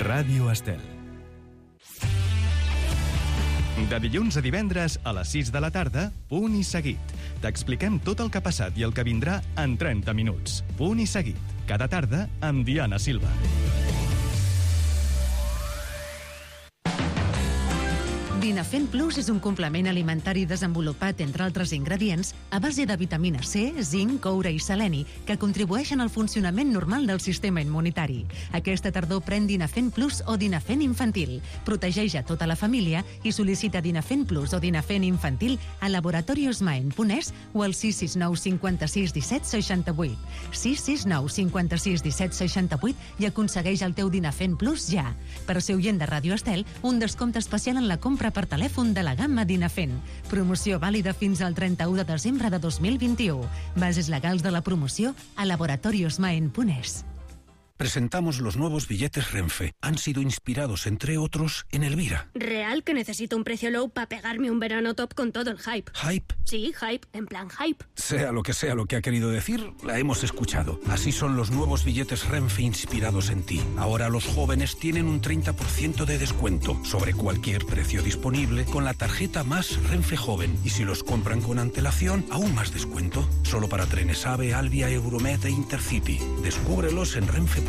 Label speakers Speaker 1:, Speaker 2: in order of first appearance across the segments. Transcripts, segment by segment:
Speaker 1: Ràdio Estel. De dilluns a divendres a les 6 de la tarda, Punt i Seguit. T'expliquem tot el que ha passat i el que vindrà en 30 minuts. Punt i Seguit. Cada tarda amb Diana Silva.
Speaker 2: Dinafen Plus és un complement alimentari desenvolupat, entre altres ingredients, a base de vitamina C, zinc, coure i seleni, que contribueixen al funcionament normal del sistema immunitari. Aquesta tardor pren Dinafen Plus o Dinafen Infantil. Protegeix a tota la família i sol·licita Dinafen Plus o Dinafen Infantil a laboratoriosmaen.es o al 669 56 17 68. 669 56 17 68 i aconsegueix el teu Dinafen Plus ja. Per ser oient de Ràdio Estel, un descompte especial en la compra per telèfon de la gamma Dinafen. Promoció vàlida fins al 31 de desembre de 2021. Bases legals de la promoció a laboratoriosmaen.es.
Speaker 3: Presentamos los nuevos billetes Renfe. Han sido inspirados, entre otros, en Elvira.
Speaker 4: ¿Real que necesito un precio low para pegarme un verano top con todo el hype?
Speaker 3: ¿Hype?
Speaker 4: Sí, hype, en plan hype.
Speaker 3: Sea lo que ha querido decir, la hemos escuchado. Así son los nuevos billetes Renfe inspirados en ti. Ahora los jóvenes tienen un 30% de descuento sobre cualquier precio disponible con la tarjeta Más Renfe Joven. Y si los compran con antelación, aún más descuento. Solo para trenes AVE, Alvia, Euromed e Intercity. Descúbrelos en renfe.com.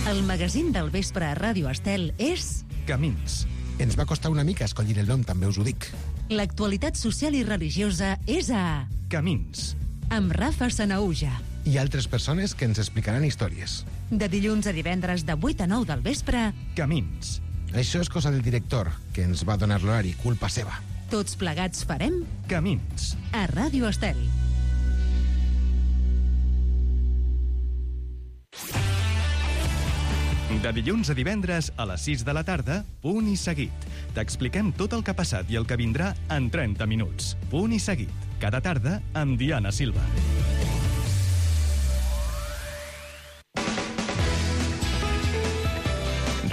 Speaker 2: El magazín del vespre a Ràdio Estel és...
Speaker 1: Camins.
Speaker 5: Ens va costar una mica escollir el nom, també us ho dic.
Speaker 2: L'actualitat social i religiosa és a...
Speaker 1: Camins.
Speaker 2: Amb Rafa Sanaúja.
Speaker 5: I altres persones que ens explicaran històries.
Speaker 2: De dilluns a divendres de 8 a 9 del vespre...
Speaker 1: Camins.
Speaker 5: Això és cosa del director, que ens va donar l'horari, culpa seva.
Speaker 2: Tots plegats farem...
Speaker 1: Camins.
Speaker 2: A Ràdio Estel.
Speaker 1: De dilluns a divendres a les 6 de la tarda, Punt i Seguit. T'expliquem tot el que ha passat i el que vindrà en 30 minuts. Punt i Seguit. Cada tarda amb Diana Silva.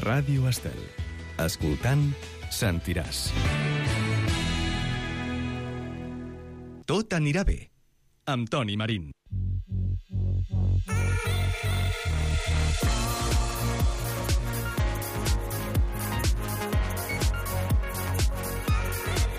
Speaker 1: Ràdio Estel. Escoltant, sentiràs. Tot anirà bé. Amb Toni Marín.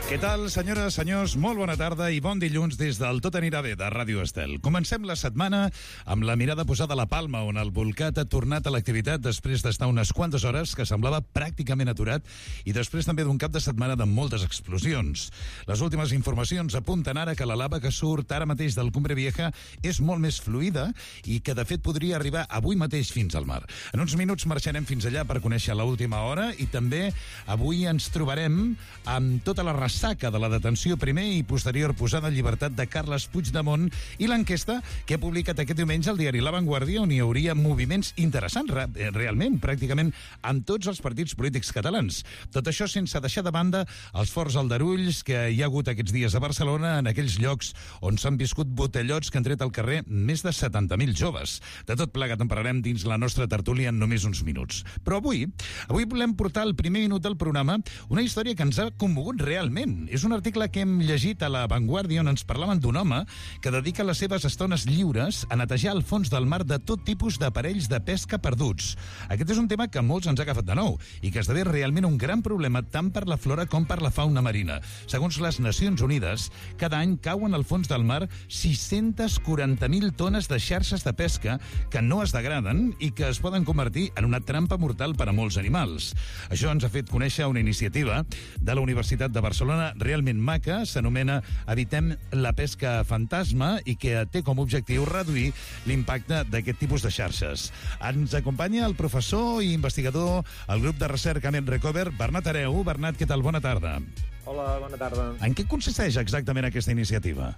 Speaker 6: Què tal, senyores, senyors? Molt bona tarda i bon dilluns des del Tot anirà bé de Ràdio Estel. Comencem la setmana amb la mirada posada a la Palma, on el Bolcat ha tornat a l'activitat després d'estar unes quantes hores que semblava pràcticament aturat i després també d'un cap de setmana de moltes explosions. Les últimes informacions apunten ara que la lava que surt ara mateix del Cumbre Vieja és molt més fluida i que, de fet, podria arribar avui mateix fins al mar. En uns minuts marxarem fins allà per conèixer l'última hora i també avui ens trobarem amb tota la ressaca de la detenció primer i posterior posada en llibertat de Carles Puigdemont i l'enquesta que ha publicat aquest diumenge el diari La Vanguardia, on hi hauria moviments interessants, realment, pràcticament amb tots els partits polítics catalans. Tot això sense deixar de banda els forts aldarulls que hi ha hagut aquests dies a Barcelona, en aquells llocs on s'han viscut botellots que han tret al carrer més de 70.000 joves. De tot plegat en parlarem dins la nostra tertúlia en només uns minuts. Però avui volem portar al primer minut del programa una història que ens ha commogut realment. És un article que hem llegit a La Vanguardia on ens parlaven d'un home que dedica les seves estones lliures a netejar el fons del mar de tot tipus d'aparells de pesca perduts. Aquest és un tema que a molts ens ha agafat de nou i que esdevé realment un gran problema tant per la flora com per la fauna marina. Segons les Nacions Unides, cada any cauen al fons del mar 640.000 tones de xarxes de pesca que no es degraden i que es poden convertir en una trampa mortal per a molts animals. Això ens ha fet conèixer una iniciativa de la Universitat de Barcelona realment maca, s'anomena Evitem la pesca fantasma i que té com a objectiu reduir l'impacte d'aquest tipus de xarxes. Ens acompanya el professor i investigador al grup de recerca Ment Recover, Bernat Hereu. Bernat, què tal? Bona tarda.
Speaker 7: Hola, bona tarda.
Speaker 6: En què consisteix exactament aquesta iniciativa?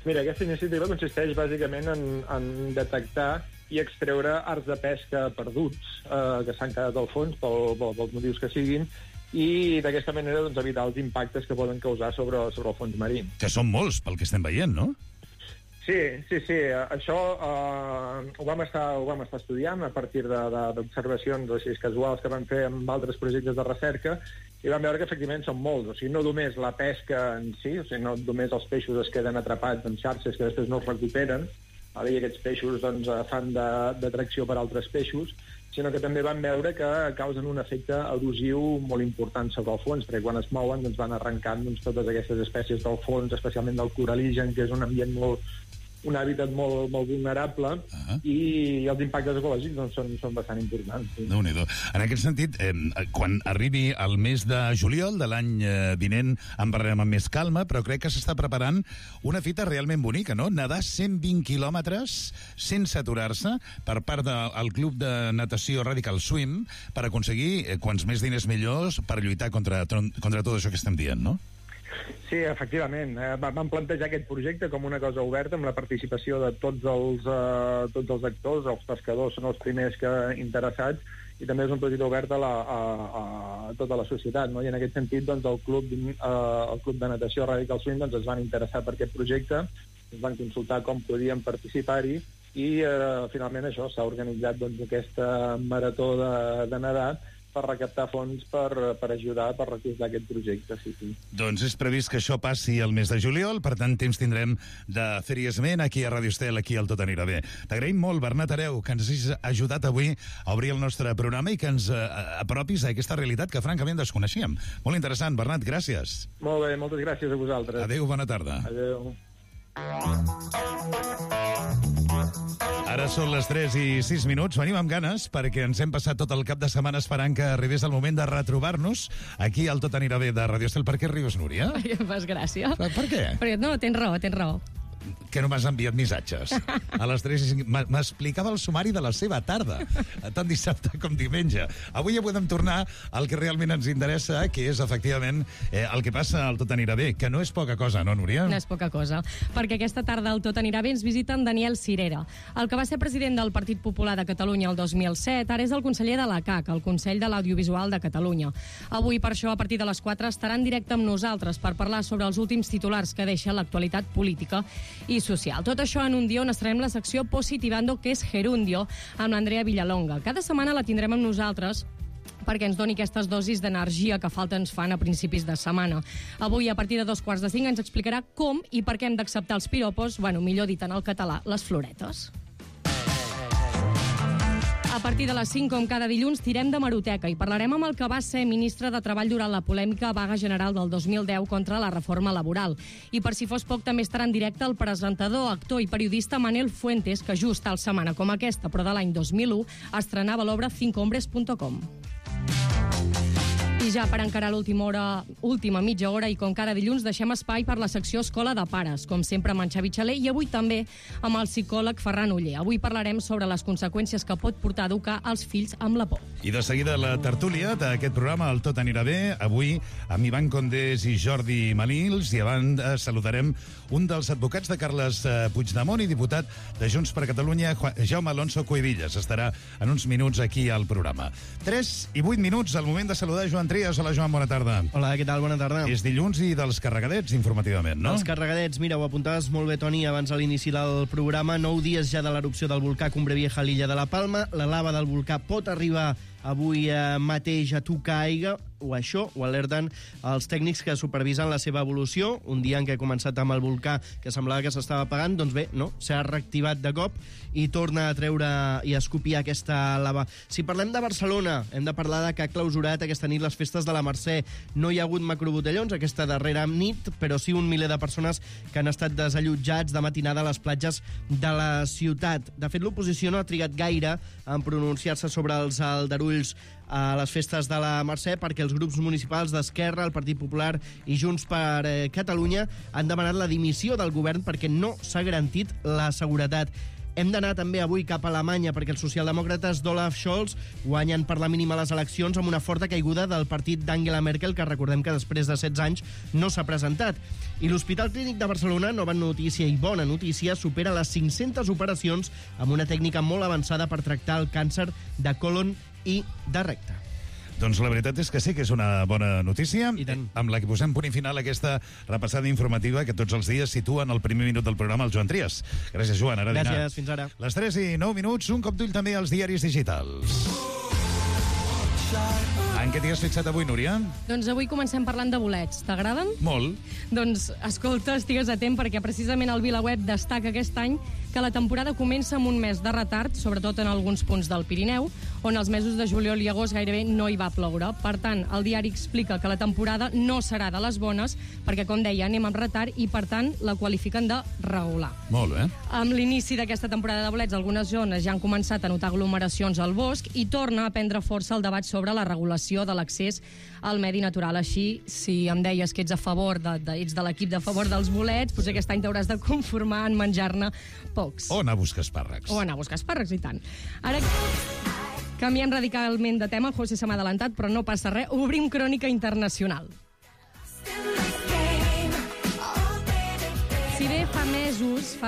Speaker 7: Mira, aquesta iniciativa consisteix bàsicament en detectar i extreure arts de pesca perduts que s'han quedat al fons pels motius que siguin i d'aquesta manera doncs, evitar els impactes que poden causar sobre el fons marí.
Speaker 6: Que són molts, pel que estem veient, no?
Speaker 7: Sí. Això ho vam estar estudiant a partir d'observacions així casuals que vam fer amb altres projectes de recerca i vam veure que efectivament són molts. O sigui, no només la pesca en si, o sigui, no només els peixos es queden atrapats en xarxes que després no es recuperen, i aquests peixos doncs, fan d'atracció per altres peixos, sinó que també van veure que causen un efecte erosiu molt important sobre el fons, perquè quan es mouen doncs, van arrencant totes aquestes espècies del fons, especialment del coraligen, que és un ambient un hàbitat molt vulnerable, i els impactes ecològics doncs, són bastant importants. Sí.
Speaker 6: Déu-n'hi-do. En aquest sentit, quan arribi el mes de juliol de l'any vinent en parlarem amb més calma, però crec que s'està preparant una fita realment bonica, no? Nedar 120 quilòmetres sense aturar-se per part del Club de Natació Radical Swim per aconseguir quants més diners millors per lluitar contra tot això que estem dient, no?
Speaker 7: Sí, efectivament. Vam plantejar aquest projecte com una cosa oberta amb la participació de tots els actors, els pescadors són els primers interessats, i també és un projecte obert a tota la societat, no? I en aquest sentit doncs, el Club de Natació Radical Swim doncs, es van interessar per aquest projecte, es van consultar com podien participar-hi, i finalment això s'ha organitzat doncs, aquesta marató de nedar per recaptar fons per ajudar, per recolzar aquest projecte. Sí.
Speaker 6: Doncs és previst que això passi el mes de juliol, per tant, temps tindrem de fer-hi esment aquí a Ràdio Estel, aquí al Tot Anirà Bé. T'agraïm molt, Bernat Hereu, que ens hagis ajudat avui a obrir el nostre programa i que ens apropis a aquesta realitat que francament desconeixíem. Molt interessant, Bernat, gràcies.
Speaker 7: Molt bé, moltes gràcies a vosaltres.
Speaker 6: Adéu, bona tarda.
Speaker 7: Adéu.
Speaker 6: Ara són les 3:06. Venim amb ganes perquè ens hem passat tot el cap de setmana esperant que arribés el moment de retrobar-nos aquí al Tot Anirà Bé de Ràdio Estel. Per què rius, Núria?
Speaker 8: Perquè em fas gràcia.
Speaker 6: Per què?
Speaker 8: Perquè, no, tens raó.
Speaker 6: Que no m'has enviat missatges. A les 3:05 m'explicava el sumari de la seva tarda, tant dissabte com diumenge. Avui ja podem tornar al que realment ens interessa, que és, efectivament, el que passa al Tot Anirà Bé, que no és poca cosa, no, Núria?
Speaker 8: No és poca cosa, perquè aquesta tarda al Tot Anirà Bé ens visita en Daniel Cirera. El que va ser president del Partit Popular de Catalunya el 2007, ara és el conseller de la CAC, el Consell de l'Audiovisual de Catalunya. Avui, per això, a partir de les 4, estarà en directe amb nosaltres per parlar sobre els últims titulars que deixa l'actualitat política i social. Tot això en un dia on estrenem la secció Positivando, que és Gerundio, amb l'Andrea Villalonga. Cada setmana la tindrem amb nosaltres perquè ens doni aquestes dosis d'energia que falta ens fan a principis de setmana. Avui, a partir de 2:45, ens explicarà com i per què hem d'acceptar els piropos, millor dit en el català, les floretes. A partir de les 5, com cada dilluns, tirem de Hemeroteca i parlarem amb el que va ser ministre de Treball durant la polèmica vaga general del 2010 contra la reforma laboral. I per si fos poc, també estarà en directe el presentador, actor i periodista Manel Fuentes, que just tal setmana com aquesta, però de l'any 2001, estrenava l'obra cincohombres.com. I ja per encarar última mitja hora, i com cada dilluns, deixem espai per la secció Escola de Pares, com sempre amb en Xavi Xaler, i avui també amb el psicòleg Ferran Oller. Avui parlarem sobre les conseqüències que pot portar a educar els fills amb la por.
Speaker 6: I de seguida la tertúlia d'aquest programa, el Tot Anirà Bé, avui amb Ivan Condés i Jordi Manils, i abans saludarem un dels advocats de Carles Puigdemont i diputat de Junts per Catalunya, Jaume Alonso Cuevillas. Estarà en uns minuts aquí al programa. 3:08, el moment de saludar Joan Trias. Hola, Joan, bona tarda.
Speaker 9: Hola, què tal? Bona tarda.
Speaker 6: És dilluns i dels carregadets, informativament, no?
Speaker 9: Els carregadets, mira, ho apuntaves molt bé, Toni, abans a l'inici del programa. 9 dies ja de l'erupció del volcà Cumbre Vieja a l'illa de la Palma. La lava del volcà pot arribar avui mateix a tocar aigua, o això, ho alerten els tècnics que supervisen la seva evolució. Un dia en què ha començat amb el volcà que semblava que s'estava apagant, doncs bé, no, s'ha reactivat de cop i torna a treure i a escopir aquesta lava. Si parlem de Barcelona, hem de parlar de que ha clausurat aquesta nit les festes de la Mercè. No hi ha hagut macrobotellons aquesta darrera nit, però sí un miler de persones que han estat desallotjats de matinada a les platges de la ciutat. De fet, l'oposició no ha trigat gaire en pronunciar-se sobre els aldarulls a les festes de la Mercè, perquè els grups municipals d'Esquerra, el Partit Popular i Junts per Catalunya han demanat la dimissió del govern perquè no s'ha garantit la seguretat. Hem d'anar també avui cap a Alemanya perquè els socialdemòcrates d'Olaf Scholz guanyen per la mínima les eleccions amb una forta caiguda del partit d'Angela Merkel, que recordem que després de 16 anys no s'ha presentat. I l'Hospital Clínic de Barcelona, nova notícia i bona notícia, supera les 500 operacions amb una tècnica molt avançada per tractar el càncer de còlon i de recte.
Speaker 6: Doncs la veritat és que sí que és una bona notícia, amb la que posem punt i final a aquesta repassada informativa que tots els dies situen al primer minut del programa el Joan Trias. Gràcies, Joan. Ara dinar.
Speaker 9: Gràcies, fins ara.
Speaker 6: Les 3:09, un cop d'ull també als diaris digitals. En què t'hi has fixat avui, Núria?
Speaker 8: Doncs avui comencem parlant de bolets. T'agraden?
Speaker 6: Molt.
Speaker 8: Doncs, escolta, estigues atent perquè precisament el VilaWeb destaca aquest any que la temporada comença amb un mes de retard, sobretot en alguns punts del Pirineu, on els mesos de juliol i agost gairebé no hi va ploure. Per tant, el diari explica que la temporada no serà de les bones, perquè, com deia, anem amb retard i, per tant, la qualifiquen de regular.
Speaker 6: Molt bé.
Speaker 8: Amb l'inici d'aquesta temporada de bolets, algunes zones ja han començat a notar aglomeracions al bosc i torna a prendre força el debat sobre la regulació de l'accés al medi natural. Així, si em deies que ets a favor ets de l'equip de favor dels bolets, potser aquest any t'hauràs de conformar en menjar-ne pocs.
Speaker 6: O anar a buscar espàrrecs.
Speaker 8: O anar a buscar espàrrecs, i tant. Ara canviem radicalment de tema, José se m'ha adelantat, però no passa res. Obrim crònica internacional. Si bé fa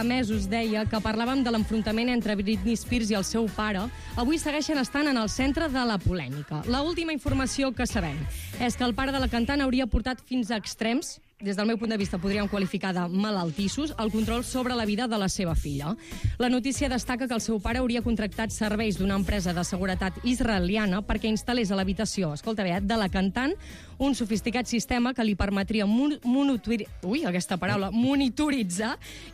Speaker 8: mesos deia que parlàvem de l'enfrontament entre Britney Spears i el seu pare, avui segueixen estant en el centre de la polèmica. L'última informació que sabem és que el pare de la cantant hauria portat fins a extrems, des del meu punt de vista podríem qualificar de malaltissos, el control sobre la vida de la seva filla. La notícia destaca que el seu pare hauria contractat serveis d'una empresa de seguretat israeliana perquè instal·lés a l'habitació, escolta bé, de la cantant, un sofisticat sistema que li permetria monitoritzar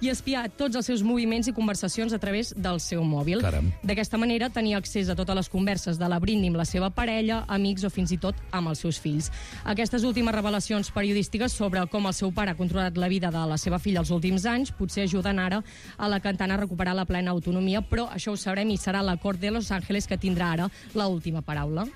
Speaker 8: i espiar tots els seus moviments i conversacions a través del seu mòbil.
Speaker 6: Caram.
Speaker 8: D'aquesta manera tenia accés a totes les converses de la Britney amb la seva parella, amics o fins i tot amb els seus fills. Aquestes últimes revelacions periodístiques sobre com el seu pare ha controlat la vida de la seva filla els últims anys potser ajuden ara a la cantant a recuperar la plena autonomia, però això ho sabrem i serà la Cort de Los Ángeles que tindrà ara l'última paraula.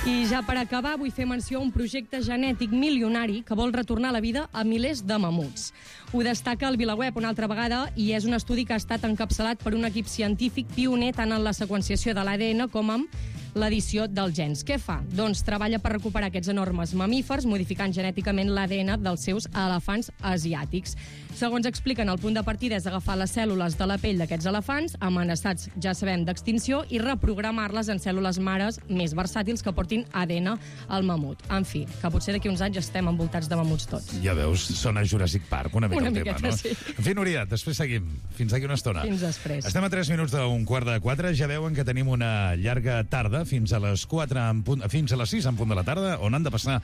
Speaker 8: I ja per acabar vull fer menció a un projecte genètic milionari que vol retornar la vida a milers de mamuts. Ho destaca el VilaWeb una altra vegada i és un estudi que ha estat encapçalat per un equip científic pioner tant en la seqüenciació de l'ADN com en l'edició dels gens. Què fa? Doncs treballa per recuperar aquests enormes mamífers, modificant genèticament l'ADN dels seus elefants asiàtics. Segons expliquen, el punt de partida és agafar les cèl·lules de la pell d'aquests elefants, amenaçats, ja sabem, d'extinció, i reprogramar-les en cèl·lules mares més versàtils que portin ADN al mamut. En fi, que potser d'aquí uns anys estem envoltats de mamuts tots.
Speaker 6: Ja veus, sona Jurassic Park una mica
Speaker 8: una
Speaker 6: el tema,
Speaker 8: miqueta,
Speaker 6: no?
Speaker 8: sí.
Speaker 6: En fi, Núria, després seguim. Fins d'aquí una estona.
Speaker 8: Fins després.
Speaker 6: Estem a 3 minuts d'un 3:45. Ja veuen que tenim una llarga tarda fins a les 4 en punt, fins a les 6 en punt de la tarda, on han de passar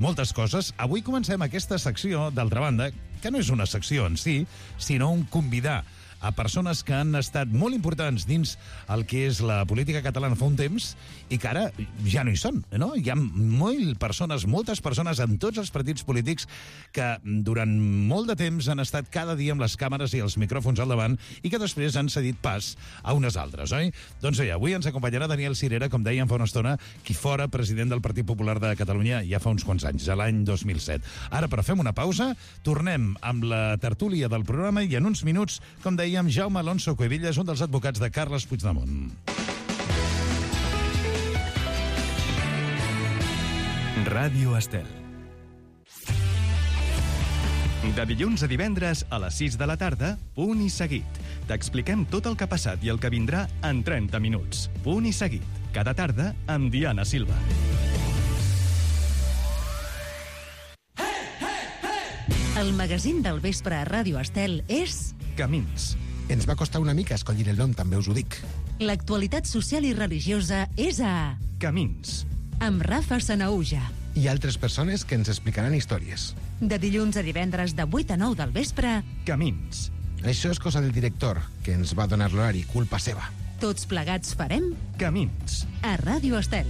Speaker 6: moltes coses. Avui comencem aquesta secció, d'altra banda, que no és una secció en si, sinó un convidar a persones que han estat molt importants dins el que és la política catalana fa un temps i que ara ja no hi són, no? Hi ha moltes persones en tots els partits polítics que durant molt de temps han estat cada dia amb les càmeres i els micròfons al davant i que després han cedit pas a unes altres, oi? Doncs bé, avui ens acompanyarà Daniel Sirera, com dèiem fa una estona, qui fora president del Partit Popular de Catalunya ja fa uns quants anys, a l'any 2007. Ara, però fem una pausa, tornem amb la tertúlia del programa i en uns minuts, com dèiem, Jaume Alonso Cuevillas, un dels advocats de Carles Puigdemont.
Speaker 1: Ràdio Estel. De dilluns a divendres a les 6 de la tarda, Punt i Seguit. T'expliquem tot el que ha passat i el que vindrà en 30 minuts. Punt i Seguit. Cada tarda amb Diana Silva.
Speaker 2: El magazín del vespre a Ràdio Estel és
Speaker 1: Camins.
Speaker 5: Ens va costar una mica escollir el nom, també us ho dic.
Speaker 2: l'actualitat social i religiosa és a
Speaker 1: Camins.
Speaker 2: amb Rafa Sanaúja.
Speaker 5: I altres persones que ens explicaran històries.
Speaker 2: De dilluns a divendres de 8 a 9 del vespre,
Speaker 1: Camins.
Speaker 5: Això és cosa del director, que ens va donar l'horari, culpa seva.
Speaker 2: tots plegats farem
Speaker 1: Camins.
Speaker 2: a Ràdio Estel.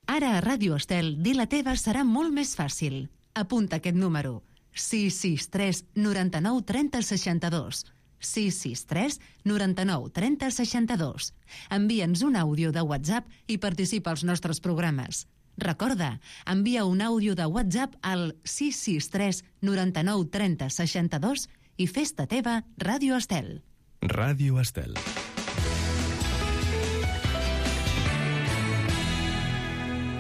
Speaker 2: Ara a Ràdio Estel, dir la teva serà molt més fàcil. Apunta aquest número: 663 99 30 62. 663 99 30 62. Envia'ns un àudio de WhatsApp i participa als nostres programes. Recorda, envia un àudio de WhatsApp al 663 99 30 62 i fes-te teva Ràdio Estel.
Speaker 1: Ràdio Estel.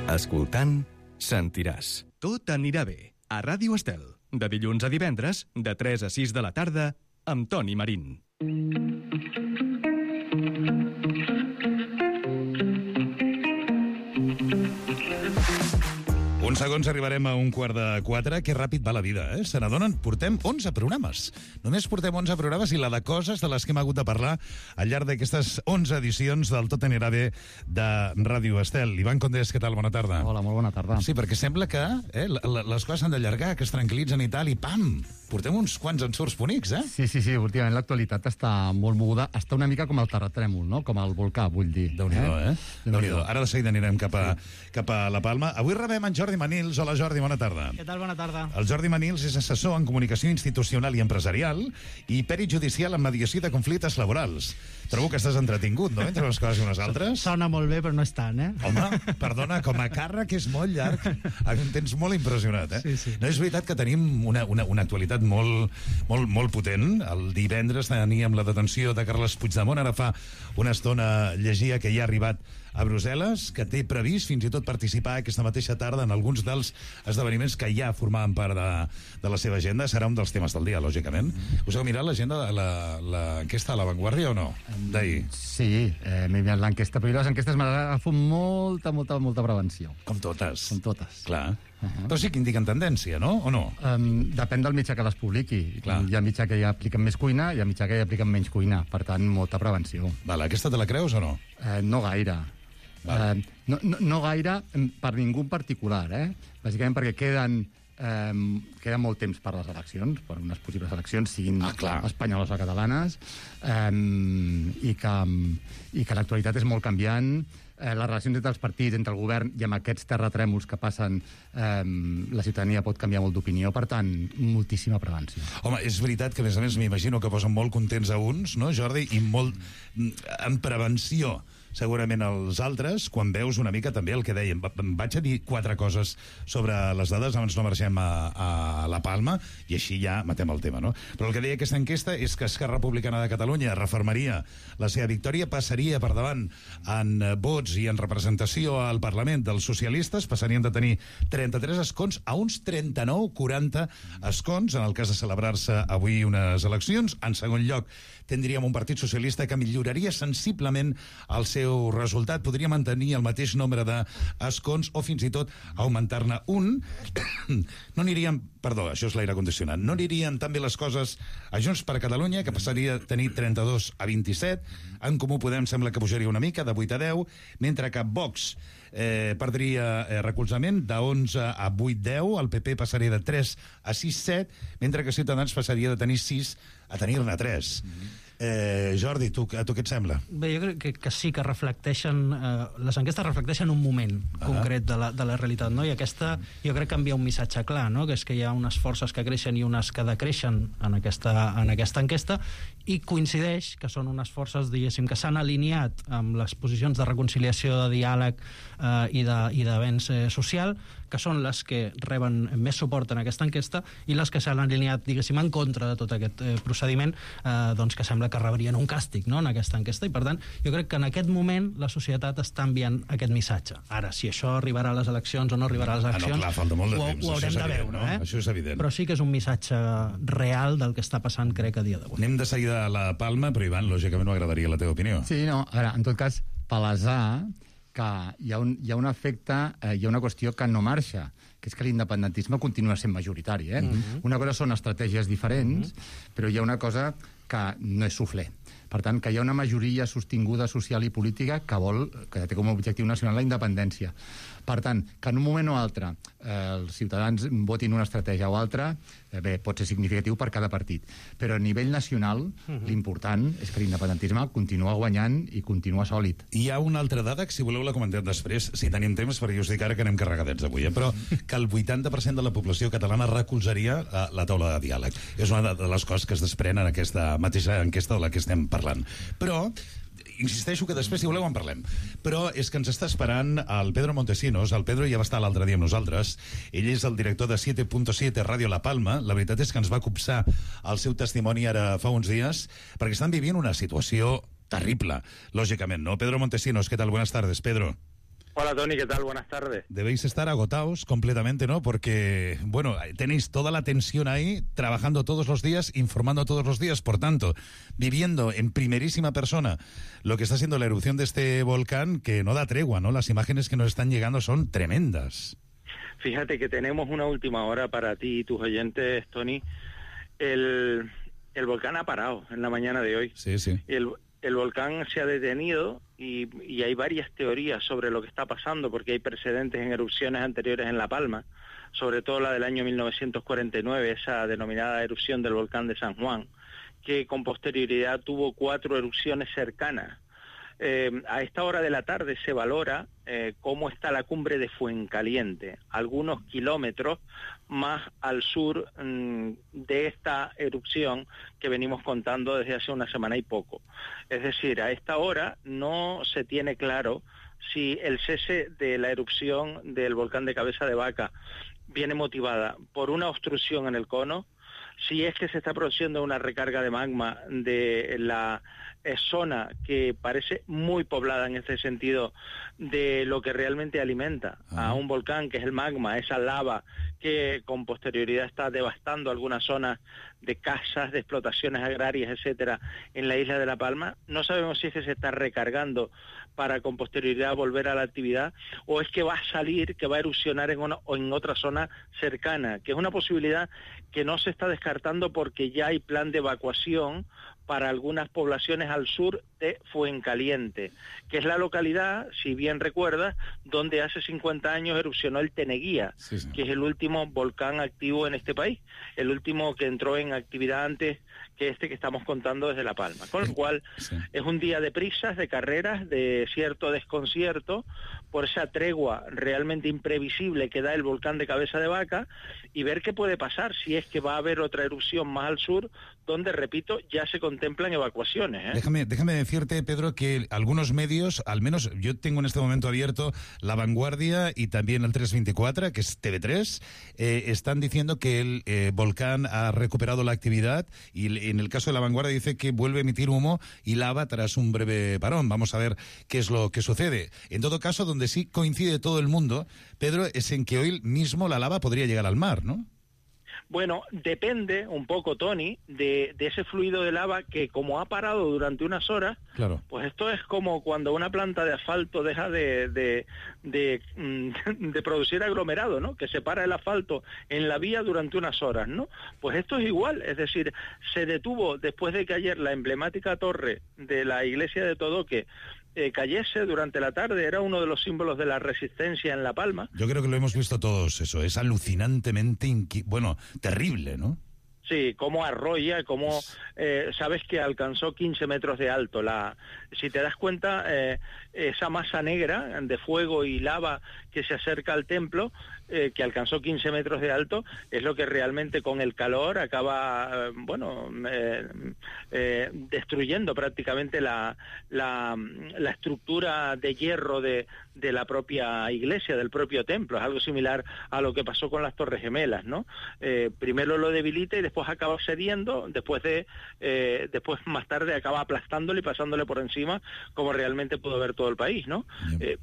Speaker 1: Escoltant, sentiràs. Tot anirà bé. A Ràdio Estel. De dilluns a divendres, de 3 a 6 de la tarda, amb Toni Marín.
Speaker 6: Un uns segons arribarem a 3:15. Que ràpid va la vida, eh? Se n'adonen, portem 11 programes. Només portem 11 programes i la de coses de les que hem hagut de parlar al llarg d'aquestes 11 edicions del Tot anirà bé de Ràdio Estel. Ivan Condés, què tal? Bona tarda.
Speaker 10: Hola, molt bona tarda.
Speaker 6: Sí, perquè sembla que les coses s'han d'allargar, que es tranquil·litzen i tal, i pam! Portem uns quants ensurts bonics, eh?
Speaker 10: Sí, últimament l'actualitat està molt moguda. Està una mica com el terratrèmol, no? Com el volcà, vull dir.
Speaker 6: Déu-n'hi-do, eh? Déu-n'hi-do. Ara de seguida anirem cap a La Palma. Avui rebem en Jordi Manils. Hola, Jordi, bona tarda.
Speaker 11: Què tal? Bona tarda.
Speaker 6: El Jordi Manils és assessor en comunicació institucional i empresarial i pèrit judicial en mediació de conflictes laborals. Trobo que estàs entretingut, no?, entre unes coses i unes altres.
Speaker 11: Sona molt bé, però no és tant, eh?
Speaker 6: Home, perdona, com a càrrec és molt llarg. Em tens molt impressionat, eh?
Speaker 11: Sí.
Speaker 6: No, és veritat que tenim una actualitat molt potent. El divendres teníem la detenció de Carles Puigdemont. Ara fa una estona llegia que ja ha arribat a Brussel·les, que té previst fins i tot participar aquesta mateixa tarda en alguns dels esdeveniments que ja formaven part de la seva agenda. Serà un dels temes del dia, lògicament. Us heu mirat l'agenda de l'enquesta a La Vanguardia o no? D'ahir.
Speaker 10: Sí, m'he mirat l'enquesta, però les enquestes m'agafo molta prevenció.
Speaker 6: Com totes.
Speaker 10: Com totes.
Speaker 6: Clar. Però sí que indiquen tendència, no? O no?
Speaker 10: Depèn del mitjà que les publiqui. Clar. Hi ha mitjà que ja apliquen més cuina, hi ha mitjà que ja apliquen menys cuina. Per tant, molta prevenció.
Speaker 6: Vale, aquesta te la creus o no?
Speaker 10: No gaire. Vale. No gaire per ningú en particular, bàsicament perquè queda molt temps per les eleccions, per unes possibles eleccions, siguin espanyoles o catalanes, i que l'actualitat és molt canviant. Les relacions entre els partits, entre el govern i amb aquests terratrèmols que passen, la ciutadania pot canviar molt d'opinió. Per tant, moltíssima prevenció.
Speaker 6: Home, és veritat que, a més, m'imagino que posen molt contents a uns, no, Jordi? I molt en prevenció segurament els altres, quan veus una mica també el que dèiem. Vaig a dir 4 coses sobre les dades, abans no marxem a La Palma, i així ja matem el tema, no? Però el que deia aquesta enquesta és que Esquerra Republicana de Catalunya refermaria la seva victòria, passaria per davant en vots i en representació al Parlament dels socialistes, passarien de tenir 33 escons a uns 39-40 escons, en el cas de celebrar-se avui unes eleccions. En segon lloc, tindríem un partit socialista que milloraria sensiblement el seu resultat, podria mantenir el mateix nombre d'escons o fins i tot augmentar-ne un. No aniríem, perdó, això és l'aire condicionat, no anirien tan bé les coses a Junts per Catalunya, que passaria a tenir 32 a 27, en Comú Podem sembla que pujaria una mica, de 8 a 10, mentre que Vox perdria recolzament de 11 a 8-10, el PP passaria de 3 a 6-7, mentre que Ciutadans passaria de tenir 6 a tenir-ne 3. Jordi, a tu què et sembla?
Speaker 11: Bé, jo crec que sí que reflecteixen, les enquestes reflecteixen un moment concret de la realitat, no? I aquesta jo crec que envia un missatge clar, no? Que és que hi ha unes forces que creixen i unes que decreixen en aquesta enquesta, i coincideix que són unes forces, diguéssim, que s'han alineat amb les posicions de reconciliació, de diàleg i d'avenç social, que són les que reben més suport en aquesta enquesta, i les que s'han alineat, diguéssim, en contra de tot aquest procediment, doncs que sembla que rebrien un càstig, no?, en aquesta enquesta. I per tant, jo crec que en aquest moment la societat està enviant aquest missatge. Ara, si això arribarà a les eleccions o no arribarà a les eleccions,
Speaker 6: clar, falta molt de temps,
Speaker 11: ho haurem de veure,
Speaker 6: no? Això és evident.
Speaker 11: Però sí que és un missatge real del que està passant, crec, a dia d'avui.
Speaker 6: Anem de seguida a La Palma, però Ivan, lògicament m'agradaria la teva opinió.
Speaker 10: Sí, no, a veure, en tot cas, palesar que hi ha un efecte, hi ha una qüestió que no marxa, que és que l'independentisme continua sent majoritari. Una cosa són estratègies diferents, però hi ha una cosa que no és suflé. Per tant, que hi ha una majoria sostinguda social i política que té com a objectiu nacional la independència. Per tant, que en un moment o altre els ciutadans votin una estratègia o altra, bé, pot ser significatiu per cada partit. Però a nivell nacional, l'important és que l'independentisme continua guanyant i continua sòlid.
Speaker 6: Hi ha una altra dada, que si voleu la comentem després, si tenim temps, perquè us dic ara que anem carregadets avui, però que el 80% de la població catalana recolzaria la taula de diàleg. És una de les coses que es desprèn en aquesta mateixa enquesta de la que estem parlant. Però insisteixo que després, si voleu, en parlem. Però és que ens està esperant el Pedro Montesinos. El Pedro ja va estar l'altre dia amb nosaltres. Ell és el director de 7.7 Ràdio La Palma. La veritat és que ens va copsar el seu testimoni ara fa uns dies, perquè estan vivint una situació terrible, lògicament, ¿no? Pedro Montesinos, ¿qué tal? Buenas tardes, Pedro.
Speaker 12: Hola, Toni, ¿qué tal? Buenas tardes.
Speaker 6: Debéis estar agotados completamente, ¿no? Porque, bueno, tenéis toda la tensión ahí, trabajando todos los días, informando todos los días, por tanto, viviendo en primerísima persona lo que está siendo la erupción de este volcán, que no da tregua, ¿no? Las imágenes que nos están llegando son tremendas.
Speaker 12: Fíjate que tenemos una última hora para ti y tus oyentes, Tony. El volcán ha parado en la mañana de hoy.
Speaker 6: Sí, sí.
Speaker 12: El volcán se ha detenido y hay varias teorías sobre lo que está pasando, porque hay precedentes en erupciones anteriores en La Palma, sobre todo la del año 1949, esa denominada erupción del volcán de San Juan, que con posterioridad tuvo 4 erupciones cercanas. A esta hora de la tarde se valora cómo está la cumbre de Fuencaliente, algunos kilómetros más al sur de esta erupción que venimos contando desde hace una semana y poco. Es decir, a esta hora no se tiene claro si el cese de la erupción del volcán de Cabeza de Vaca viene motivada por una obstrucción en el cono, si es que se está produciendo una recarga de magma de la zona que parece muy poblada en este sentido de lo que realmente alimenta a un volcán, que es el magma, esa lava que con posterioridad está devastando algunas zonas de casas, de explotaciones agrarias, etcétera, en la isla de La Palma. No sabemos si es que se está recargando para con posterioridad volver a la actividad, o es que va a salir, que va a erupcionar en otra zona cercana, que es una posibilidad que no se está descartando porque ya hay plan de evacuación para algunas poblaciones al sur de Fuencaliente, que es la localidad, si bien recuerdas, donde hace 50 años erupcionó el Teneguía, que es el último volcán activo en este país, el último que entró en actividad antes que este que estamos contando desde La Palma. Con lo cual, es un día de prisas, de carreras, de cierto desconcierto, por esa tregua realmente imprevisible que da el volcán de Cabeza de Vaca, y ver qué puede pasar si es que va a haber otra erupción más al sur, donde, repito, ya se contemplan evacuaciones.
Speaker 6: Déjame decirte, Pedro, que algunos medios, al menos yo tengo en este momento abierto La Vanguardia y también el 324, que es TV3, están diciendo que el volcán ha recuperado la actividad, y en el caso de La Vanguardia dice que vuelve a emitir humo y lava tras un breve parón. Vamos a ver qué es lo que sucede. En todo caso, donde sí coincide todo el mundo, Pedro, es en que hoy mismo la lava podría llegar al mar, ¿no?
Speaker 12: Bueno, depende un poco, Tony, de ese fluido de lava que, como ha parado durante unas horas,
Speaker 6: claro,
Speaker 12: pues esto es como cuando una planta de asfalto deja de producir aglomerado, ¿no? Que separa el asfalto en la vía durante unas horas, ¿no? Pues esto es igual, es decir, se detuvo después de que ayer la emblemática torre de la iglesia de Todoque cayese durante la tarde, era uno de los símbolos de la resistencia en La Palma.
Speaker 6: Yo creo que lo hemos visto todos, eso, es alucinantemente, terrible, ¿no?
Speaker 12: Sí, cómo arrolla, cómo sabes que alcanzó 15 metros de alto. Si te das cuenta, esa masa negra de fuego y lava que se acerca al templo, que alcanzó 15 metros de alto, es lo que realmente con el calor acaba, destruyendo prácticamente la estructura de hierro de la propia iglesia, del propio templo. Es algo similar a lo que pasó con las Torres Gemelas, ¿no? Primero lo debilita y después acaba cediendo, después más tarde acaba aplastándole y pasándole por encima, como realmente pudo ver todo el país, ¿no?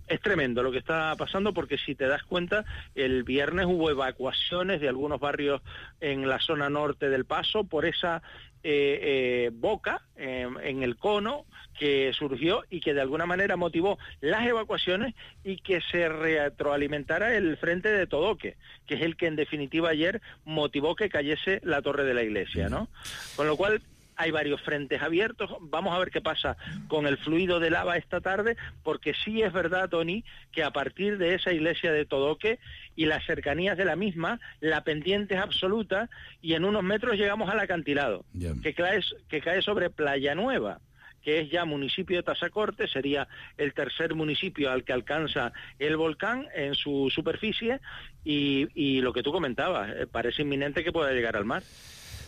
Speaker 12: Es tremendo lo que está pasando, porque si te das cuenta, el viernes hubo evacuaciones de algunos barrios en la zona norte del Paso por esa boca en el cono que surgió y que de alguna manera motivó las evacuaciones y que se retroalimentara el frente de Todoque, que es el que en definitiva ayer motivó que cayese la torre de la iglesia, ¿no? Con lo cual hay varios frentes abiertos. Vamos a ver qué pasa con el fluido de lava esta tarde, porque sí es verdad, Tony, que a partir de esa iglesia de Todoque y las cercanías de la misma, la pendiente es absoluta y en unos metros llegamos al acantilado, que cae sobre Playa Nueva, que es ya municipio de Tazacorte, sería el tercer municipio al que alcanza el volcán en su superficie, y lo que tú comentabas, parece inminente que pueda llegar al mar.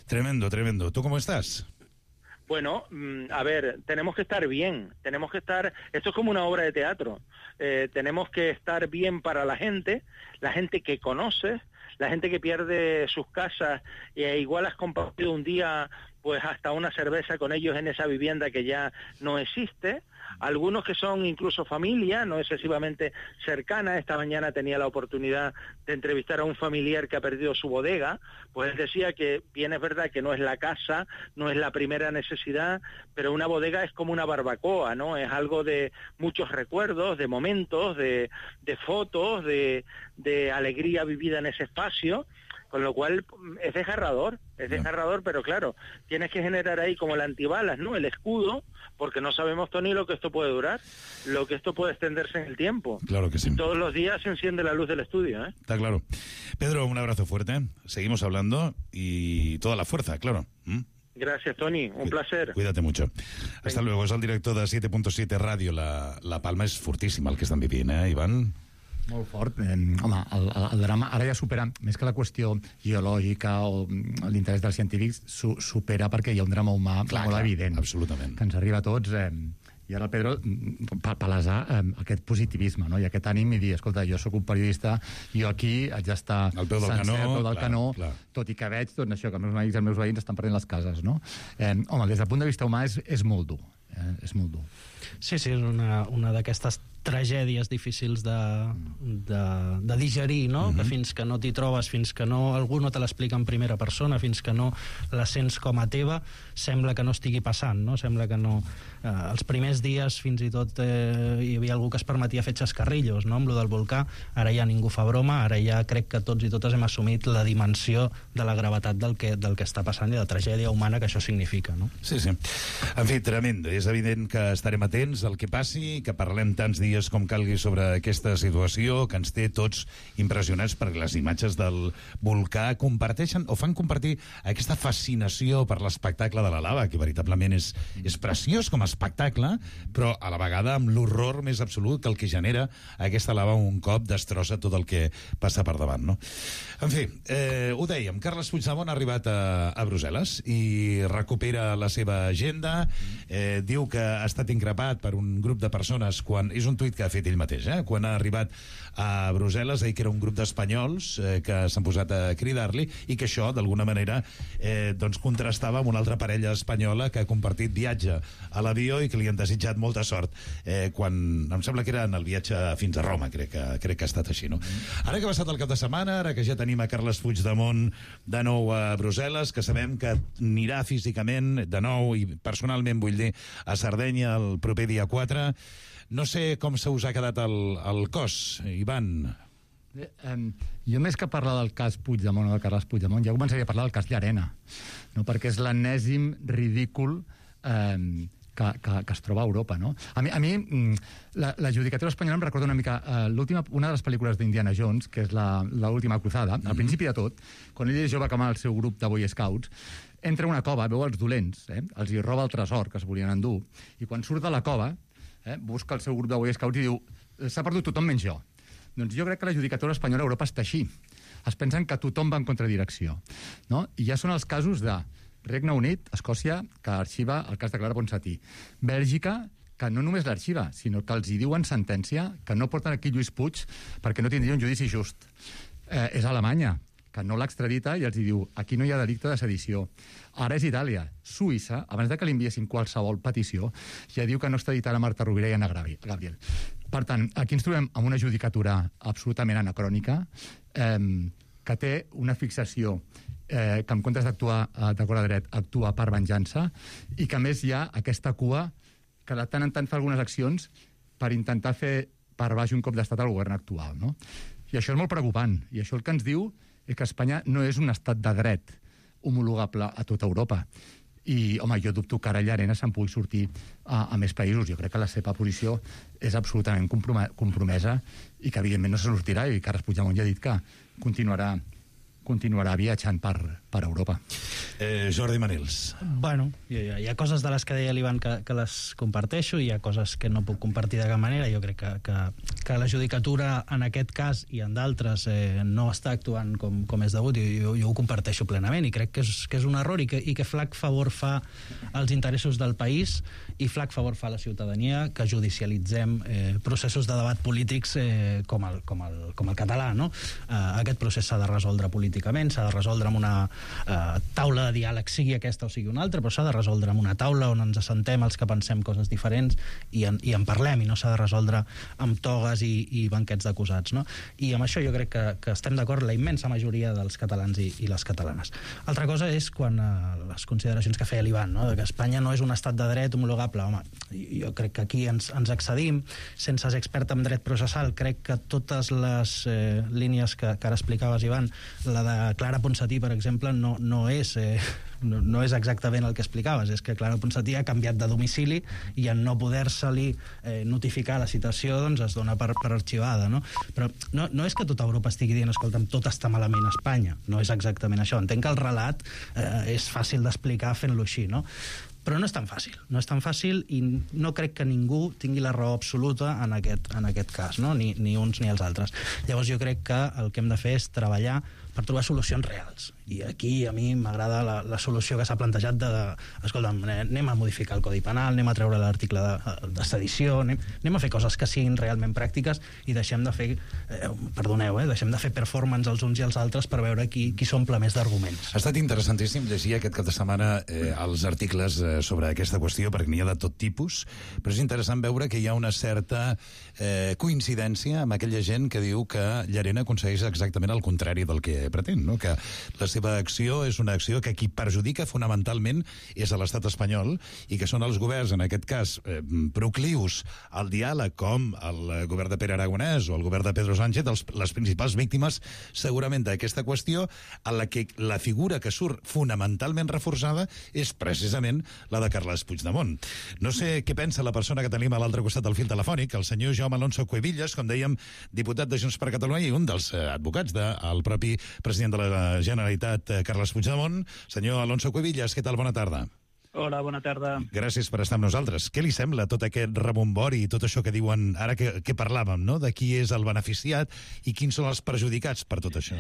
Speaker 6: Tremendo, tremendo. ¿Tú cómo estás?
Speaker 12: Bueno, a ver, tenemos que estar bien, esto es como una obra de teatro, tenemos que estar bien para la gente que conoces, la gente que pierde sus casas, igual has compartido un día pues hasta una cerveza con ellos en esa vivienda que ya no existe. Algunos que son incluso familia, no excesivamente cercana. Esta mañana tenía la oportunidad de entrevistar a un familiar que ha perdido su bodega, pues él decía que bien es verdad que no es la casa, no es la primera necesidad, pero una bodega es como una barbacoa, ¿no? Es algo de muchos recuerdos, de momentos, de fotos, de alegría vivida en ese espacio. Con lo cual es desgarrador, pero claro, tienes que generar ahí como el antibalas, ¿no? El escudo, porque no sabemos, Tony, lo que esto puede durar, lo que esto puede extenderse en el tiempo.
Speaker 6: Claro que sí.
Speaker 12: Y todos los días se enciende la luz del estudio, ¿eh?
Speaker 6: Está claro. Pedro, un abrazo fuerte, seguimos hablando y toda la fuerza, claro.
Speaker 12: Gracias, Tony, un placer.
Speaker 6: Cuídate mucho. Hasta luego. És el director de 7.7 Ràdio. La Palma és fortíssima el que estan vivint, Ivan?
Speaker 10: Molt fort. Home, el drama ara ja supera, més que la qüestió geològica o l'interès dels científics, supera perquè hi ha un drama humà molt evident.
Speaker 6: Absolutament.
Speaker 10: Que ens arriba a tots. I ara el Pedro, palesar aquest positivisme, no? I aquest ànim i dir, escolta, jo sóc un periodista, jo aquí haig d'estar
Speaker 6: al peu del
Speaker 10: canó, tot i que veig tot això, que els meus amics i els meus veïns estan perdent les cases, no? Home, des del punt de vista humà és molt dur. És molt dur.
Speaker 11: Sí, és una d'aquestes tragèdies difícils de digerir, no? Que fins que no t'hi trobes, fins que algú no te l'explica en primera persona, fins que no la sents com a teva, sembla que no estigui passant, no? Sembla que no... Els primers dies fins i tot hi havia algú que es permetia fer xascarrillos, no? Amb lo del volcà, ara ja ningú fa broma, ara ja crec que tots i totes hem assumit la dimensió de la gravetat del que està passant i de la tragèdia humana que això significa, no?
Speaker 6: Sí. En fi, tremend. És evident que estarem atents al que passi, que parlem tants dies com calgui sobre aquesta situació, que ens té tots impressionats perquè les imatges del volcà comparteixen o fan compartir aquesta fascinació per l'espectacle de la lava, que veritablement és preciós com a espectacle, però a la vegada amb l'horror més absolut que el que genera aquesta lava un cop destrossa tot el que passa per davant, no? En fi, ho dèiem, Carles Puigdemont ha arribat a Brussel·les i recupera la seva agenda, diu que ha estat increpat per un grup de persones quan... És un tuit que ha fet ell mateix, quan ha arribat a Brussel·les, que era un grup d'espanyols que s'han posat a cridar-li i que això, d'alguna manera, doncs contrastava amb una altra parella espanyola que ha compartit viatge a l'avió i que li han desitjat molta sort quan, em sembla que era en el viatge fins a Roma, crec que ha estat així, no? Ara que ha passat el cap de setmana, ara que ja tenim a Carles Puigdemont de nou a Brussel·les, que sabem que anirà físicament de nou i personalment, vull dir, a Sardenya el proper dia 4, no sé com se us ha quedat el cos, Ivan.
Speaker 10: Jo, més que parlar del cas Puigdemont o de Carles Puigdemont, ja començaria a parlar del cas Llarena, no? Perquè és l'enèsim ridícul que es troba a Europa, no? A mi la judicatura espanyola em recorda una mica una de les pel·lícules d'Indiana Jones, que és l'última cruzada. Al principi de tot, quan ell és jove que amb el seu grup de Boy Scouts, entra a una cova, veu els dolents, els hi roba el tresor que es volien endur, i quan surt de la cova busca el seu grup de Boy Scouts i diu s'ha perdut tothom menys jo. Doncs jo crec que la judicatura espanyola a Europa està així. Es pensen que tothom va en contradirecció, no? I ja són els casos de Regne Unit, Escòcia, que arxiva el cas de Clara Ponsatí. Bèlgica, que no només l'arxiva, sinó que els hi diuen sentència que no porten aquí Lluís Puig perquè no tindria un judici just. És Alemanya, que no l'extradita i els diu aquí no hi ha delicte de sedició. Ara és Itàlia. Suïssa, abans de que li enviessin qualsevol petició, ja diu que no extraditarà Marta Rovira i Anna Gabriel. Per tant, aquí ens trobem amb una judicatura absolutament anacrònica, que té una fixació que en comptes d'actuar d'acord a dret, actua per venjança, i que a més hi ha aquesta cua que de tant en tant fa algunes accions per intentar fer per baix un cop d'estat al govern actual, no? I això és molt preocupant, i això el que ens diu és que Espanya no és un estat de dret homologable a tota Europa. I, home, jo dubto que ara Llarena se'n pugui sortir a més països. Jo crec que la seva posició és absolutament compromesa i que, evidentment, no se sortirà, i Carles Puigdemont ja ha dit que continuarà continuarà viatjant per Europa.
Speaker 6: Jordi Manils.
Speaker 11: Bueno, hi ha coses de les que deia l'Ivan que les comparteixo, hi ha coses que no puc compartir de cap manera. Jo crec que la judicatura en aquest cas i en d'altres no està actuant com és degut, i jo ho comparteixo plenament, i crec que és un error, i que flac favor fa als interessos del país i flac favor fa a la ciutadania que judicialitzem processos de debat polítics com el català, no? Aquest procés s'ha de resoldre políticament, s'ha de resoldre amb una taula de diàleg, sigui aquesta o sigui una altra, però s'ha de resoldre amb una taula on ens assentem els que pensem coses diferents i en parlem, i no s'ha de resoldre amb togues i banquets d'acusats, no? I amb això jo crec que estem d'acord la immensa majoria dels catalans i les catalanes. Altra cosa és quan les consideracions que feia l'Ivan, no? De que Espanya no és un estat de dret homologable. Home, jo crec que aquí ens excedim. Sense ser expert en dret processal, crec que totes les línies que ara explicaves, Ivan, la de Clara Ponsatí, per exemple, no és exactament el que explicaves. És que Clara Ponsatí ha canviat de domicili i en no poder-se-li notificar la citació, doncs es dona per arxivada, no? Però no és que tota Europa estigui dient escolta'm, tot està malament a Espanya. No és exactament això. Entenc que el relat és fàcil d'explicar fent-lo així, no? Però no és tan fàcil i no crec que ningú tingui la raó absoluta en aquest cas, no? Ni uns ni els altres. Llavors jo crec que el que hem de fer és treballar per trobar solucions reals. I aquí a mi m'agrada la solució que s'ha plantejat escolta'm, anem a modificar el Codi Penal, anem a treure l'article de sedició, anem a fer coses que siguin realment pràctiques i deixem de fer, deixem de fer performance els uns i els altres per veure qui s'omple més d'arguments.
Speaker 6: Ha estat interessantíssim llegir aquest cap de setmana els articles sobre aquesta qüestió, perquè n'hi ha de tot tipus, però és interessant veure que hi ha una certa coincidència amb aquella gent que diu que Llarena aconsegueix exactament el contrari del que pretén, no? Que la seva acció és una acció que qui perjudica fonamentalment és a l'estat espanyol i que són els governs, en aquest cas, proclius al diàleg, com el govern de Pere Aragonès o el govern de Pedro Sánchez, les principals víctimes segurament d'aquesta qüestió, en la que la figura que surt fonamentalment reforçada és precisament la de Carles Puigdemont. No sé què pensa la persona que tenim a l'altre costat del fil telefònic, el senyor Jaume Alonso Cuevillas, com dèiem, diputat de Junts per Catalunya i un dels advocats del propi president de la Generalitat, Carles Puigdemont. Senyor Alonso Cuevillas, què tal? Bona tarda.
Speaker 13: Hola, bona tarda.
Speaker 6: Gràcies per estar amb nosaltres. Què li sembla tot aquest rebombori i tot això que diuen ara que parlàvem, no? De qui és el beneficiat i quins són els perjudicats per tot això?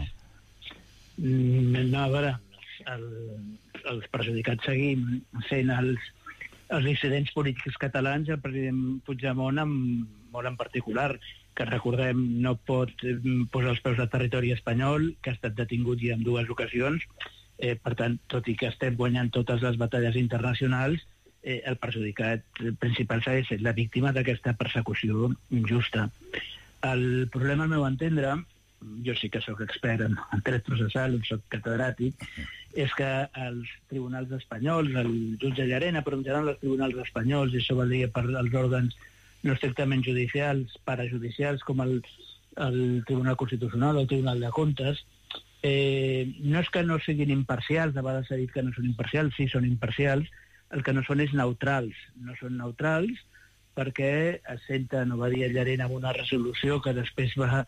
Speaker 13: No, a veure, els perjudicats seguim sent els dissidents polítics catalans, el president Puigdemont molt en particular, que recordem no pot posar els peus al territori espanyol, que ha estat detingut ja en 2 ocasions. Per tant, tot i que estem guanyant totes les batalles internacionals, el perjudicat principal s'ha de ser la víctima d'aquesta persecució injusta. El problema, al meu entendre, jo sí que sóc expert en dret processal, sóc catedràtic, és que els tribunals espanyols, el jutge Llarena, però en general els tribunals espanyols, i això vol dir per als òrgans no estrictament judicials, parajudicials, com el Tribunal Constitucional o el Tribunal de Comptes, no és que no siguin imparcials, de vegades s'ha dit que no són imparcials, sí, són imparcials, el que no són és neutrals. No són neutrals perquè es senten, ho va dir Llarena en una resolució que després va,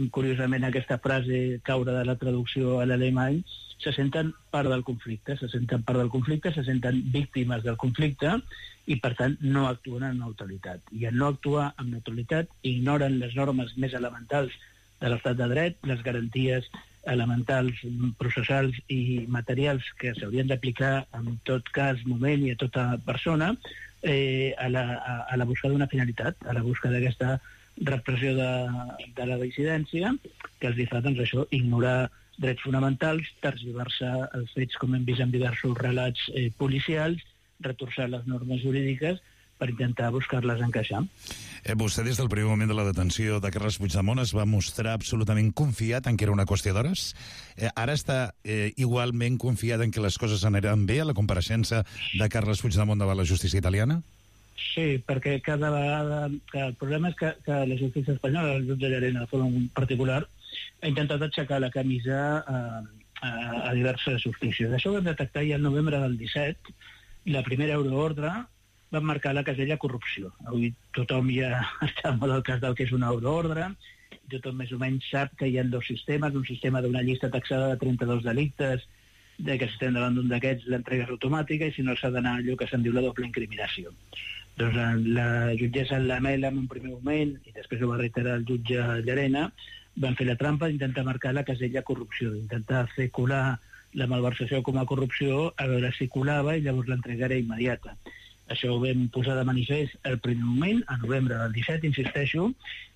Speaker 13: curiosament aquesta frase caure de la traducció a l'alemany, se senten part del conflicte, se senten víctimes del conflicte i, per tant, no actuen amb neutralitat. I en no actuar amb neutralitat ignoren les normes més elementals de l'estat de dret, les garanties elementals, processals i materials que s'haurien d'aplicar en tot cas, moment i a tota persona, a la busca d'una finalitat, a la busca d'aquesta repressió de la dissidència, que els fa, doncs, això, ignorar drets fonamentals, tergiversar els fets, com hem vist en diversos relats policials, retorçar les normes jurídiques per intentar buscar-les encaixar.
Speaker 6: Vostè, des del primer moment de la detenció de Carles Puigdemont, es va mostrar absolutament confiat en que era una qüestió d'hores. Ara està igualment confiat en que les coses aniran bé a la compareixença de Carles Puigdemont davant la justícia italiana?
Speaker 13: Sí, perquè cada vegada... El problema és que la justícia espanyola, el jutge Llarena de forma particular, ha intentat aixecar la camisa a diverses justícies. Això ho vam detectar ja el novembre del 17, la primera euroordre va marcar la casella corrupció. Avui tothom ja està molt al cas del que és una euroordre tothom més o menys sap que hi ha dos sistemes, un sistema d'una llista taxada de 32 delictes, que si estem davant d'un d'aquests l'entrega és automàtica i si no s'ha d'anar allò que se'n diu la doble incriminació. Doncs la jutgessa Lamela en un primer moment, i després ho va reiterar el jutge Llarena, van fer la trampa d'intentar marcar la casella corrupció, d'intentar fer colar la malversació com a corrupció, a veure si colava i llavors l'entrega era immediata. Això ho vam posar de manifest el primer moment, a novembre del 17, insisteixo,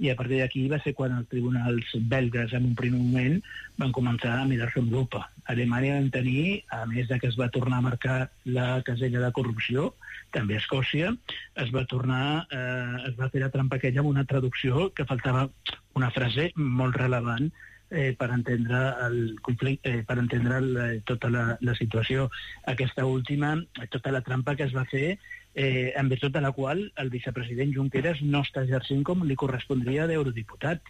Speaker 13: i a partir d'aquí va ser quan els tribunals belgues en un primer moment van començar a mirar-se amb lupa. A Alemanya vam tenir, a més de que es va tornar a marcar la casella de corrupció, també a Escòcia, es va fer la trampa aquella amb una traducció que faltava una frase molt relevant per entendre el conflicte, per entendre tota la situació. Aquesta última, tota la trampa que es va fer, en virtut de la qual el vicepresident Junqueras no està exercint com li correspondria d'eurodiputat.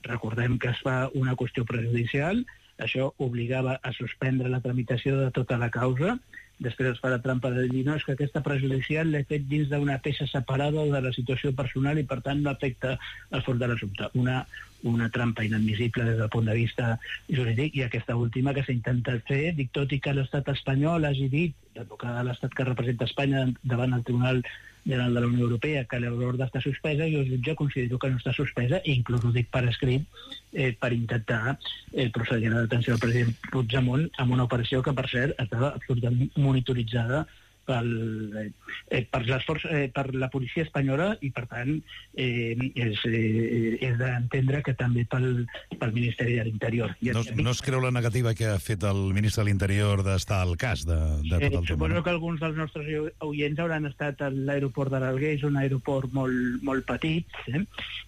Speaker 13: Recordem que es fa una qüestió prejudicial, això obligava a suspendre la tramitació de tota la causa, després es fa la trampa de dir, no, és que aquesta prejudicial l'he fet dins d'una peça separada de la situació personal i per tant no afecta el fons de l'assumpte. Una trampa inadmissible des del punt de vista jurídic, i aquesta última que s'ha intentat fer, dic, tot i que l'estat espanyol hagi dit, l'advocat de l'estat que representa Espanya davant el Tribunal General de la Unió Europea, que l'ordre està suspesa, jo jutge considero que no està suspesa, i inclús ho dic per escrit, per intentar procedir a la detenció del president Puigdemont amb una operació que, per cert, estava absolutament monitoritzada per la policia espanyola i, per tant, és d'entendre que també pel Ministeri de l'Interior.
Speaker 6: No es creu la negativa que ha fet el ministre de l'Interior d'estar al cas de tot el tema?
Speaker 13: Suposo que alguns dels nostres oients hauran estat a l'aeroport de l'Alguer, és un aeroport molt petit,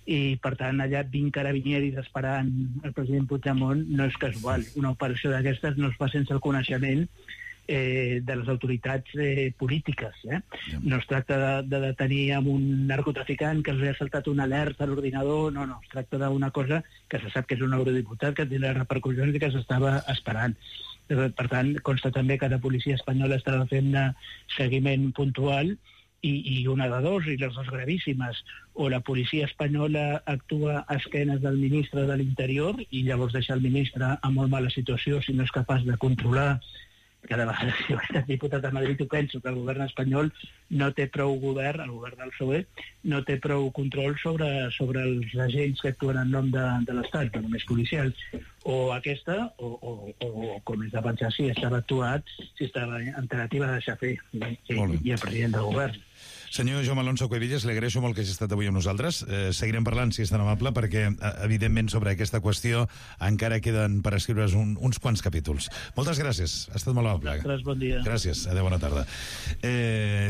Speaker 13: i, per tant, allà 20 carabinieris esperant el president Puigdemont no és casual. Una operació d'aquestes no es fa sense el coneixement de les autoritats polítiques. No es tracta de detenir amb un narcotraficant que els ha saltat una alerta a l'ordinador, no, es tracta d'una cosa que se sap que és un eurodiputat, que té les repercussions i que s'estava esperant. Per tant, consta també que la policia espanyola estava fent seguiment puntual i una de dos, i les dues gravíssimes, o la policia espanyola actua a esquenes del ministre de l'Interior i llavors deixa el ministre en molt mala situació si no és capaç de controlar. Cada vegada, si ho he estat diputat a Madrid, ho penso, que el govern espanyol no té prou govern, el govern del PSOE, no té prou control sobre els agents que actuen en nom de l'Estat, no només policials. O aquesta, o com és de pensar, si estava actuat, si estava en tentativa de deixar fer, i el president del govern.
Speaker 6: Senyor Jaume Alonso Cuevillas, li agraeixo molt que hagi estat avui amb nosaltres. Seguirem parlant, si és tan amable, perquè, evidentment, sobre aquesta qüestió encara queden per escriure's uns quants capítols. Moltes gràcies, ha estat molt amable.
Speaker 13: Gràcies, bon dia.
Speaker 6: Gràcies, adéu, bona tarda.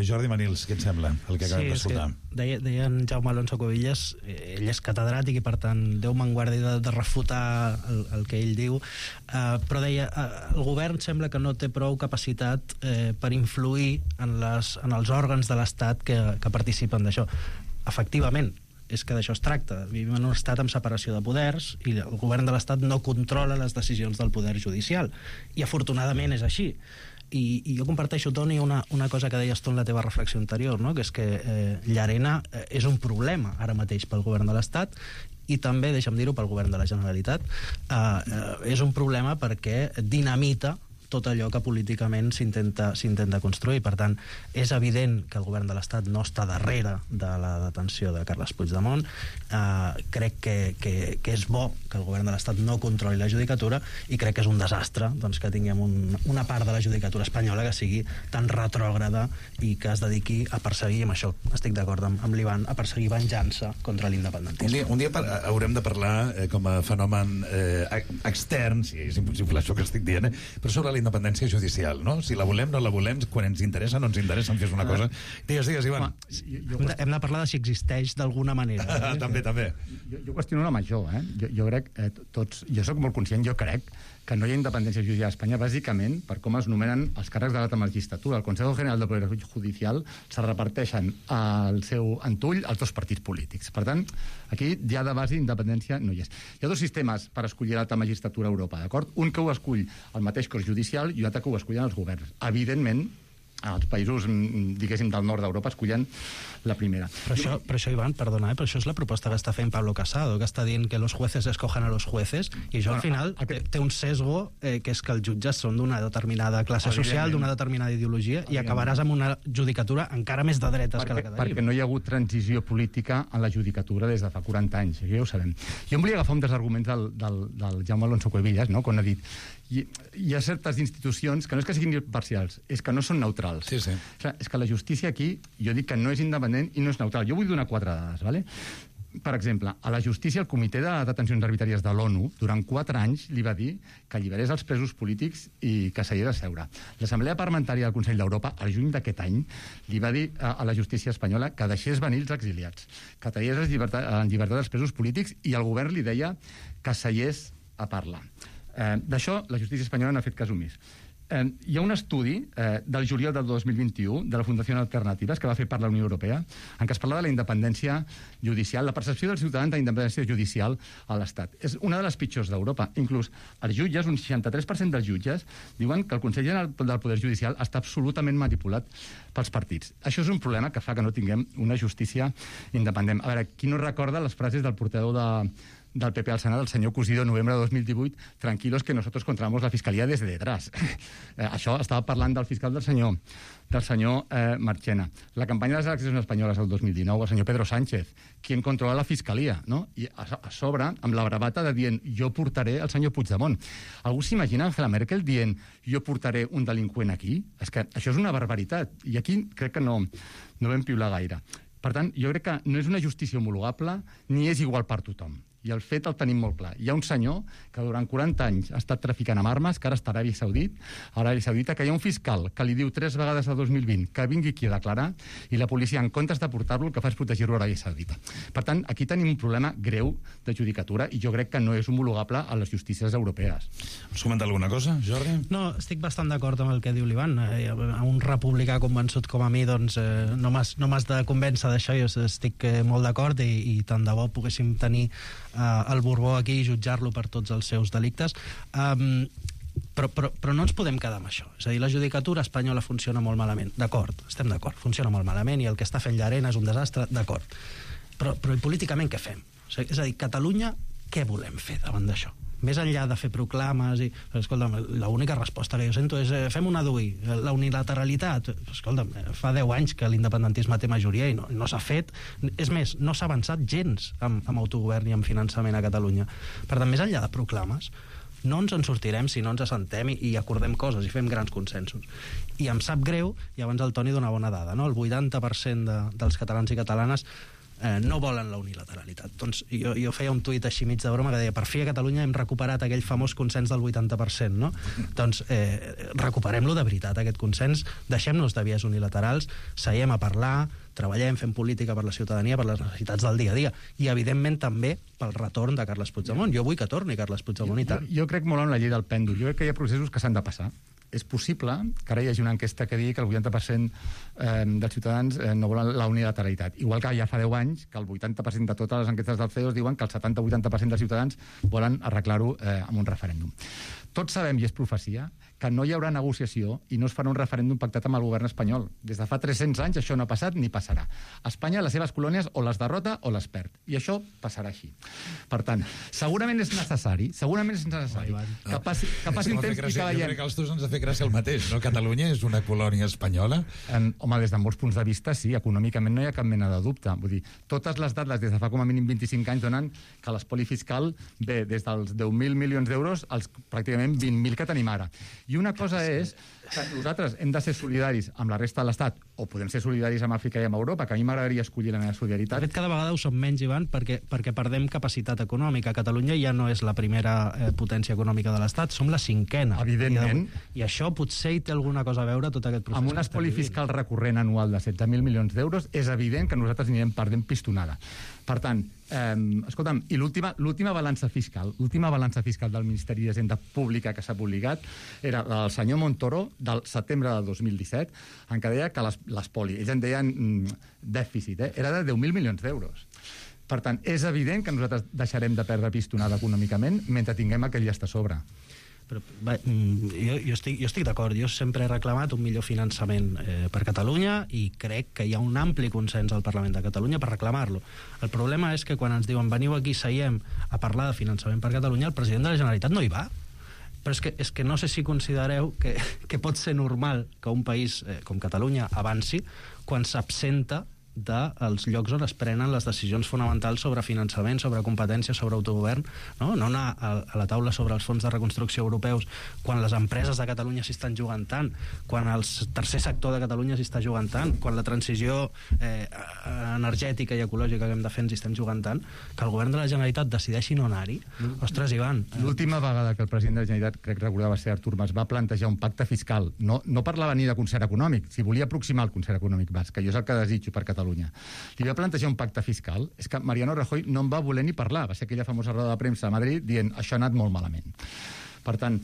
Speaker 6: Jordi Manils, què et sembla, el que acabem d'escoltar?
Speaker 11: Deia en Jaume Alonso Cuevillas, ell és catedràtic i, per tant, Déu me'n guardi de refutar el que ell diu, però deia, el govern sembla que no té prou capacitat per influir en els òrgans de l'Estat que participen d'això. Efectivament, és que d'això es tracta. Vivim en un estat amb separació de poders i el govern de l'Estat no controla les decisions del poder judicial. I afortunadament és així. I jo comparteixo, Toni, una cosa que deies tu en la teva reflexió anterior, no? Que és que Llarena és un problema ara mateix pel govern de l'Estat i també, deixa'm dir-ho, pel govern de la Generalitat. És un problema perquè dinamita tot allò que políticament s'intenta construir. Per tant, és evident que el govern de l'Estat no està darrere de la detenció de Carles Puigdemont. Crec que és bo que el govern de l'Estat no controli la judicatura i crec que és un desastre que tinguem una part de la judicatura espanyola que sigui tan retrògrada i que es dediqui a perseguir, amb això estic d'acord amb l'Ivan, a perseguir venjança contra l'independentisme.
Speaker 6: Un dia haurem de parlar com a fenomen extern, si és impossible això que estic dient, però sobre la independència judicial, no? Si la volem, no la volem, quan ens interessa, no ens interessa, que és una cosa... Digues, Ivan.
Speaker 11: Hem de parlar de si existeix d'alguna manera.
Speaker 6: També.
Speaker 10: Jo qüestiono la major, Jo crec, jo soc molt conscient, jo crec que no hi ha independència judicial a Espanya, bàsicament per com es nomenen els càrrecs de l'alta magistratura. El Consejo General del Poder Judicial se reparteixen al seu entull als dos partits polítics. Per tant, aquí ja de base independència no hi és. Hi ha dos sistemes per escollir l'alta magistratura a Europa, d'acord? Un que ho escull el mateix cos judicial i un altre que ho escullen els governs. Evidentment, els països, diguéssim, del nord d'Europa escollen la primera.
Speaker 11: Però això, Ivan, perdona, però això és la proposta que està fent Pablo Casado, que està dient que los jueces escojan a los jueces, i això al final té un sesgo, que és que els jutges són d'una determinada classe social, d'una determinada ideologia, i acabaràs amb una judicatura encara més de dretes que la que tenim.
Speaker 10: Perquè no hi ha hagut transició política en la judicatura des de fa 40 anys, això ja ho sabem. Jo em volia agafar un dels arguments del Jaume Alonso Cuevillas, no?, quan ha dit hi ha certes institucions que no és que siguin imparcials, és que no són neutrals.
Speaker 6: Sí, sí.
Speaker 10: És que la justícia aquí, jo dic que no és independent i no és neutral. Jo vull donar 4 dades, ¿vale? Per exemple, a la justícia, el Comitè de Detencions Arbitràries de l'ONU, durant 4 anys li va dir que alliberés els presos polítics i que s'havia de seure. L'Assemblea Parlamentària del Consell d'Europa, al juny d'aquest any, li va dir a la justícia espanyola que deixés venir els exiliats, que tallés en llibertat els presos polítics, i el govern li deia que seiés a parlar. D'això la justícia espanyola n'ha fet cas omís. Hi ha un estudi del juliol del 2021 de la Fundació Alternatives que va fer per la Unió Europea en què es parla de la independència judicial, la percepció dels ciutadans de la independència judicial a l'Estat. És una de les pitjors d'Europa. Inclús els jutges, un 63% dels jutges, diuen que el Consell General del Poder Judicial està absolutament manipulat pels partits. Això és un problema que fa que no tinguem una justícia independent. A veure, qui no recorda les frases del portaveu del PP al Senat, el senyor Cosido, novembre de 2018, tranquilos que nosotros controlamos la fiscalía desde detrás. Això estava parlant del fiscal del senyor Marchena. La campanya de les eleccions espanyoles del 2019, el senyor Pedro Sánchez, quien controla la fiscalia, no? I a sobre, amb la bravata de dient jo portaré el senyor Puigdemont. Algú s'imagina Angela Merkel dient jo portaré un delinqüent aquí? És que això és una barbaritat, i aquí crec que no vam piular gaire. Per tant, jo crec que no és una justícia homologable ni és igual per tothom. I el fet el tenim molt clar. Hi ha un senyor que durant 40 anys ha estat traficant amb armes, que ara està a Aràbia Saudita, que hi ha un fiscal que li diu 3 vegades a 2020 que vingui aquí a declarar, i la policia, en comptes de portar-lo, el que fa és protegir-lo a Aràbia Saudita. Per tant, aquí tenim un problema greu de judicatura, i jo crec que no és homologable a les justícies europees.
Speaker 6: Vols comentar alguna cosa, Jordi?
Speaker 11: No, estic bastant d'acord amb el que diu l'Ivan. A un republicà convençut com a mi, doncs, no m'has de convèncer d'això. Jo estic molt d'acord, i tant de bo poguéssim tenir el Borbó aquí i jutjar-lo per tots els seus delictes. Però no ens podem quedar amb això. És a dir, la judicatura espanyola funciona molt malament. D'acord, estem d'acord, funciona molt malament, i el que està fent Llarena és un desastre, d'acord. Però políticament què fem? És a dir, Catalunya, què volem fer davant d'això? Més enllà de fer proclames escolta'm, l'única resposta que jo sento és fem una DUI, la unilateralitat. Escolta'm, fa 10 anys que l'independentisme té majoria i no s'ha fet. És més, no s'ha avançat gens amb autogovern i amb finançament a Catalunya. Per tant, més enllà de proclames, no ens en sortirem si no ens assentem i acordem coses i fem grans consensos. I em sap greu, i abans el Toni dona bona dada, no? El 80% dels catalans i catalanes no volen la unilateralitat. Doncs jo feia un tuit així mig de broma que deia, per fi a Catalunya hem recuperat aquell famós consens del 80%, no? Doncs recuperem-lo de veritat, aquest consens, deixem-nos de vies unilaterals, seiem a parlar, treballem, fem política per la ciutadania, per les necessitats del dia a dia, i evidentment també pel retorn de Carles Puigdemont. Jo vull que torni Carles Puigdemont i tant.
Speaker 10: Jo crec molt en la llei del pèndol. Jo crec que hi ha processos que s'han de passar. És possible que ara hi hagi una enquesta que digui que el 80% dels ciutadans no volen la unilateralitat. Igual que ja fa 10 anys que el 80% de totes les enquestes del CEOs diuen que el 70-80% dels ciutadans volen arreglar-ho amb un referèndum. Tots sabem, i és profecia, que no hi haurà negociació i no es farà un referèndum pactat amb el govern espanyol. Des de fa 300 anys això no ha passat ni passarà. Espanya, les seves colònies, o les derrota o les perd. I això passarà així. Per tant, segurament és necessari que passi un temps i que veiem...
Speaker 6: Jo crec que als dos ens ha fet gràcia el mateix, no? Catalunya és una colònia espanyola?
Speaker 10: Home, des de molts punts de vista, sí. Econòmicament no hi ha cap mena de dubte. Vull dir, totes les dades des de fa com a mínim 25 anys donen que l'espoli fiscal ve des dels 10.000 milions d'euros als pràcticament 20.000 que tenim ara. I una cosa és que nosaltres hem de ser solidaris amb la resta de l'Estat, o podem ser solidaris amb Àfrica i amb Europa, que a mi m'agradaria escollir la meva solidaritat.
Speaker 11: De fet, cada vegada ho som menys, Ivan, perquè perdem capacitat econòmica. Catalunya ja no és la primera potència econòmica de l'Estat, som la 5a.
Speaker 10: Evidentment.
Speaker 11: I això potser hi té alguna cosa a veure tot aquest procés.
Speaker 10: Amb un espoli fiscal recurrent anual de 16.000 milions d'euros, és evident que nosaltres anirem perdent pistonada. Per tant, escolta'm, i l'última balança fiscal del Ministeri d'Hisenda Pública que s'ha publicat era la del senyor Montoro del setembre del 2017, en què deia que l'espoli, ells en deien dèficit, era de 10.000 milions d'euros. Per tant, és evident que nosaltres deixarem de perdre pistonada econòmicament mentre tinguem aquell llast a sobre.
Speaker 11: Jo estic d'acord. Jo sempre he reclamat un millor finançament per Catalunya i crec que hi ha un ampli consens al Parlament de Catalunya per reclamar-lo. El problema és que quan ens diuen veniu aquí, seiem a parlar de finançament per Catalunya, el president de la Generalitat no hi va. Però és que no sé si considereu que pot ser normal que un país com Catalunya avanci quan s'absenta dels llocs on es prenen les decisions fonamentals sobre finançament, sobre competències, sobre autogovern, no anar a la taula sobre els fons de reconstrucció europeus quan les empreses de Catalunya s'hi estan jugant tant, quan el tercer sector de Catalunya s'hi està jugant tant, quan la transició energètica i ecològica que hem de fer ens hi estem jugant tant, que el govern de la Generalitat decideixi no anar-hi. Ostres, Ivan...
Speaker 10: L'última vegada que el president de la Generalitat, crec recordar va ser Artur Mas, va plantejar un pacte fiscal, no parlava ni de concert econòmic, si volia aproximar el concert econòmic basc, que jo és el que desitjo per Catalunya. Li va plantejar un pacte fiscal, és que Mariano Rajoy no en va voler ni parlar, va ser aquella famosa roda de premsa a Madrid dient això ha anat molt malament. Per tant,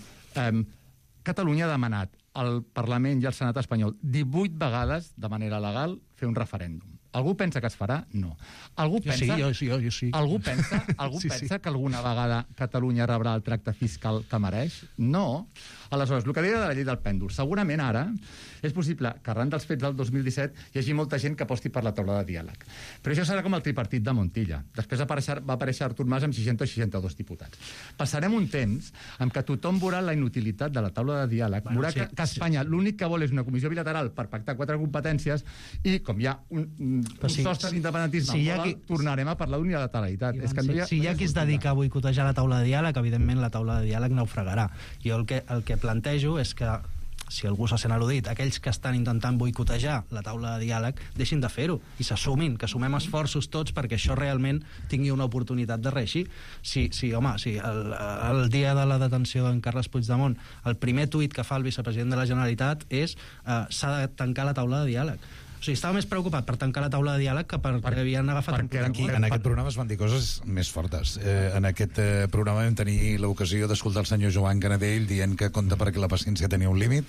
Speaker 10: Catalunya ha demanat al Parlament i al Senat espanyol 18 vegades, de manera legal, fer un referèndum. Algú pensa que es farà? No. Algú pensa,
Speaker 11: jo sí.
Speaker 10: Algú pensa que alguna vegada Catalunya rebrà el tracte fiscal que mereix? No. Aleshores, el que deia de la llei del pèndol, segurament ara és possible que arran dels fets del 2017 hi hagi molta gent que aposti per la taula de diàleg. Però això serà com el tripartit de Montilla. Després va aparèixer Artur Mas amb 60 o 62 diputats. Passarem un temps en què tothom veurà la inutilitat de la taula de diàleg, veurà que Espanya l'únic que vol és una comissió bilateral per pactar 4 competències i com hi ha un sostre d'independentisme, tornarem a parlar d'unilateralitat.
Speaker 11: Si hi ha qui es dedica a boicotejar la taula de diàleg, evidentment la taula de diàleg naufragarà. Jo el que plantejo és que, si algú se sent al·ludit, aquells que estan intentant boicotejar la taula de diàleg deixin de fer-ho i s'assumin, que sumem esforços tots perquè això realment tingui una oportunitat de reeixir. Si el dia de la detenció d'en Carles Puigdemont el primer tuit que fa el vicepresident de la Generalitat és s'ha de tancar la taula de diàleg. O sigui, estava més preocupat per tancar la taula de diàleg que perquè havien agafat...
Speaker 6: En aquest programa es van dir coses més fortes. En aquest programa vam tenir l'ocasió d'escoltar el senyor Joan Canadell dient que compta perquè la paciència tenia un límit,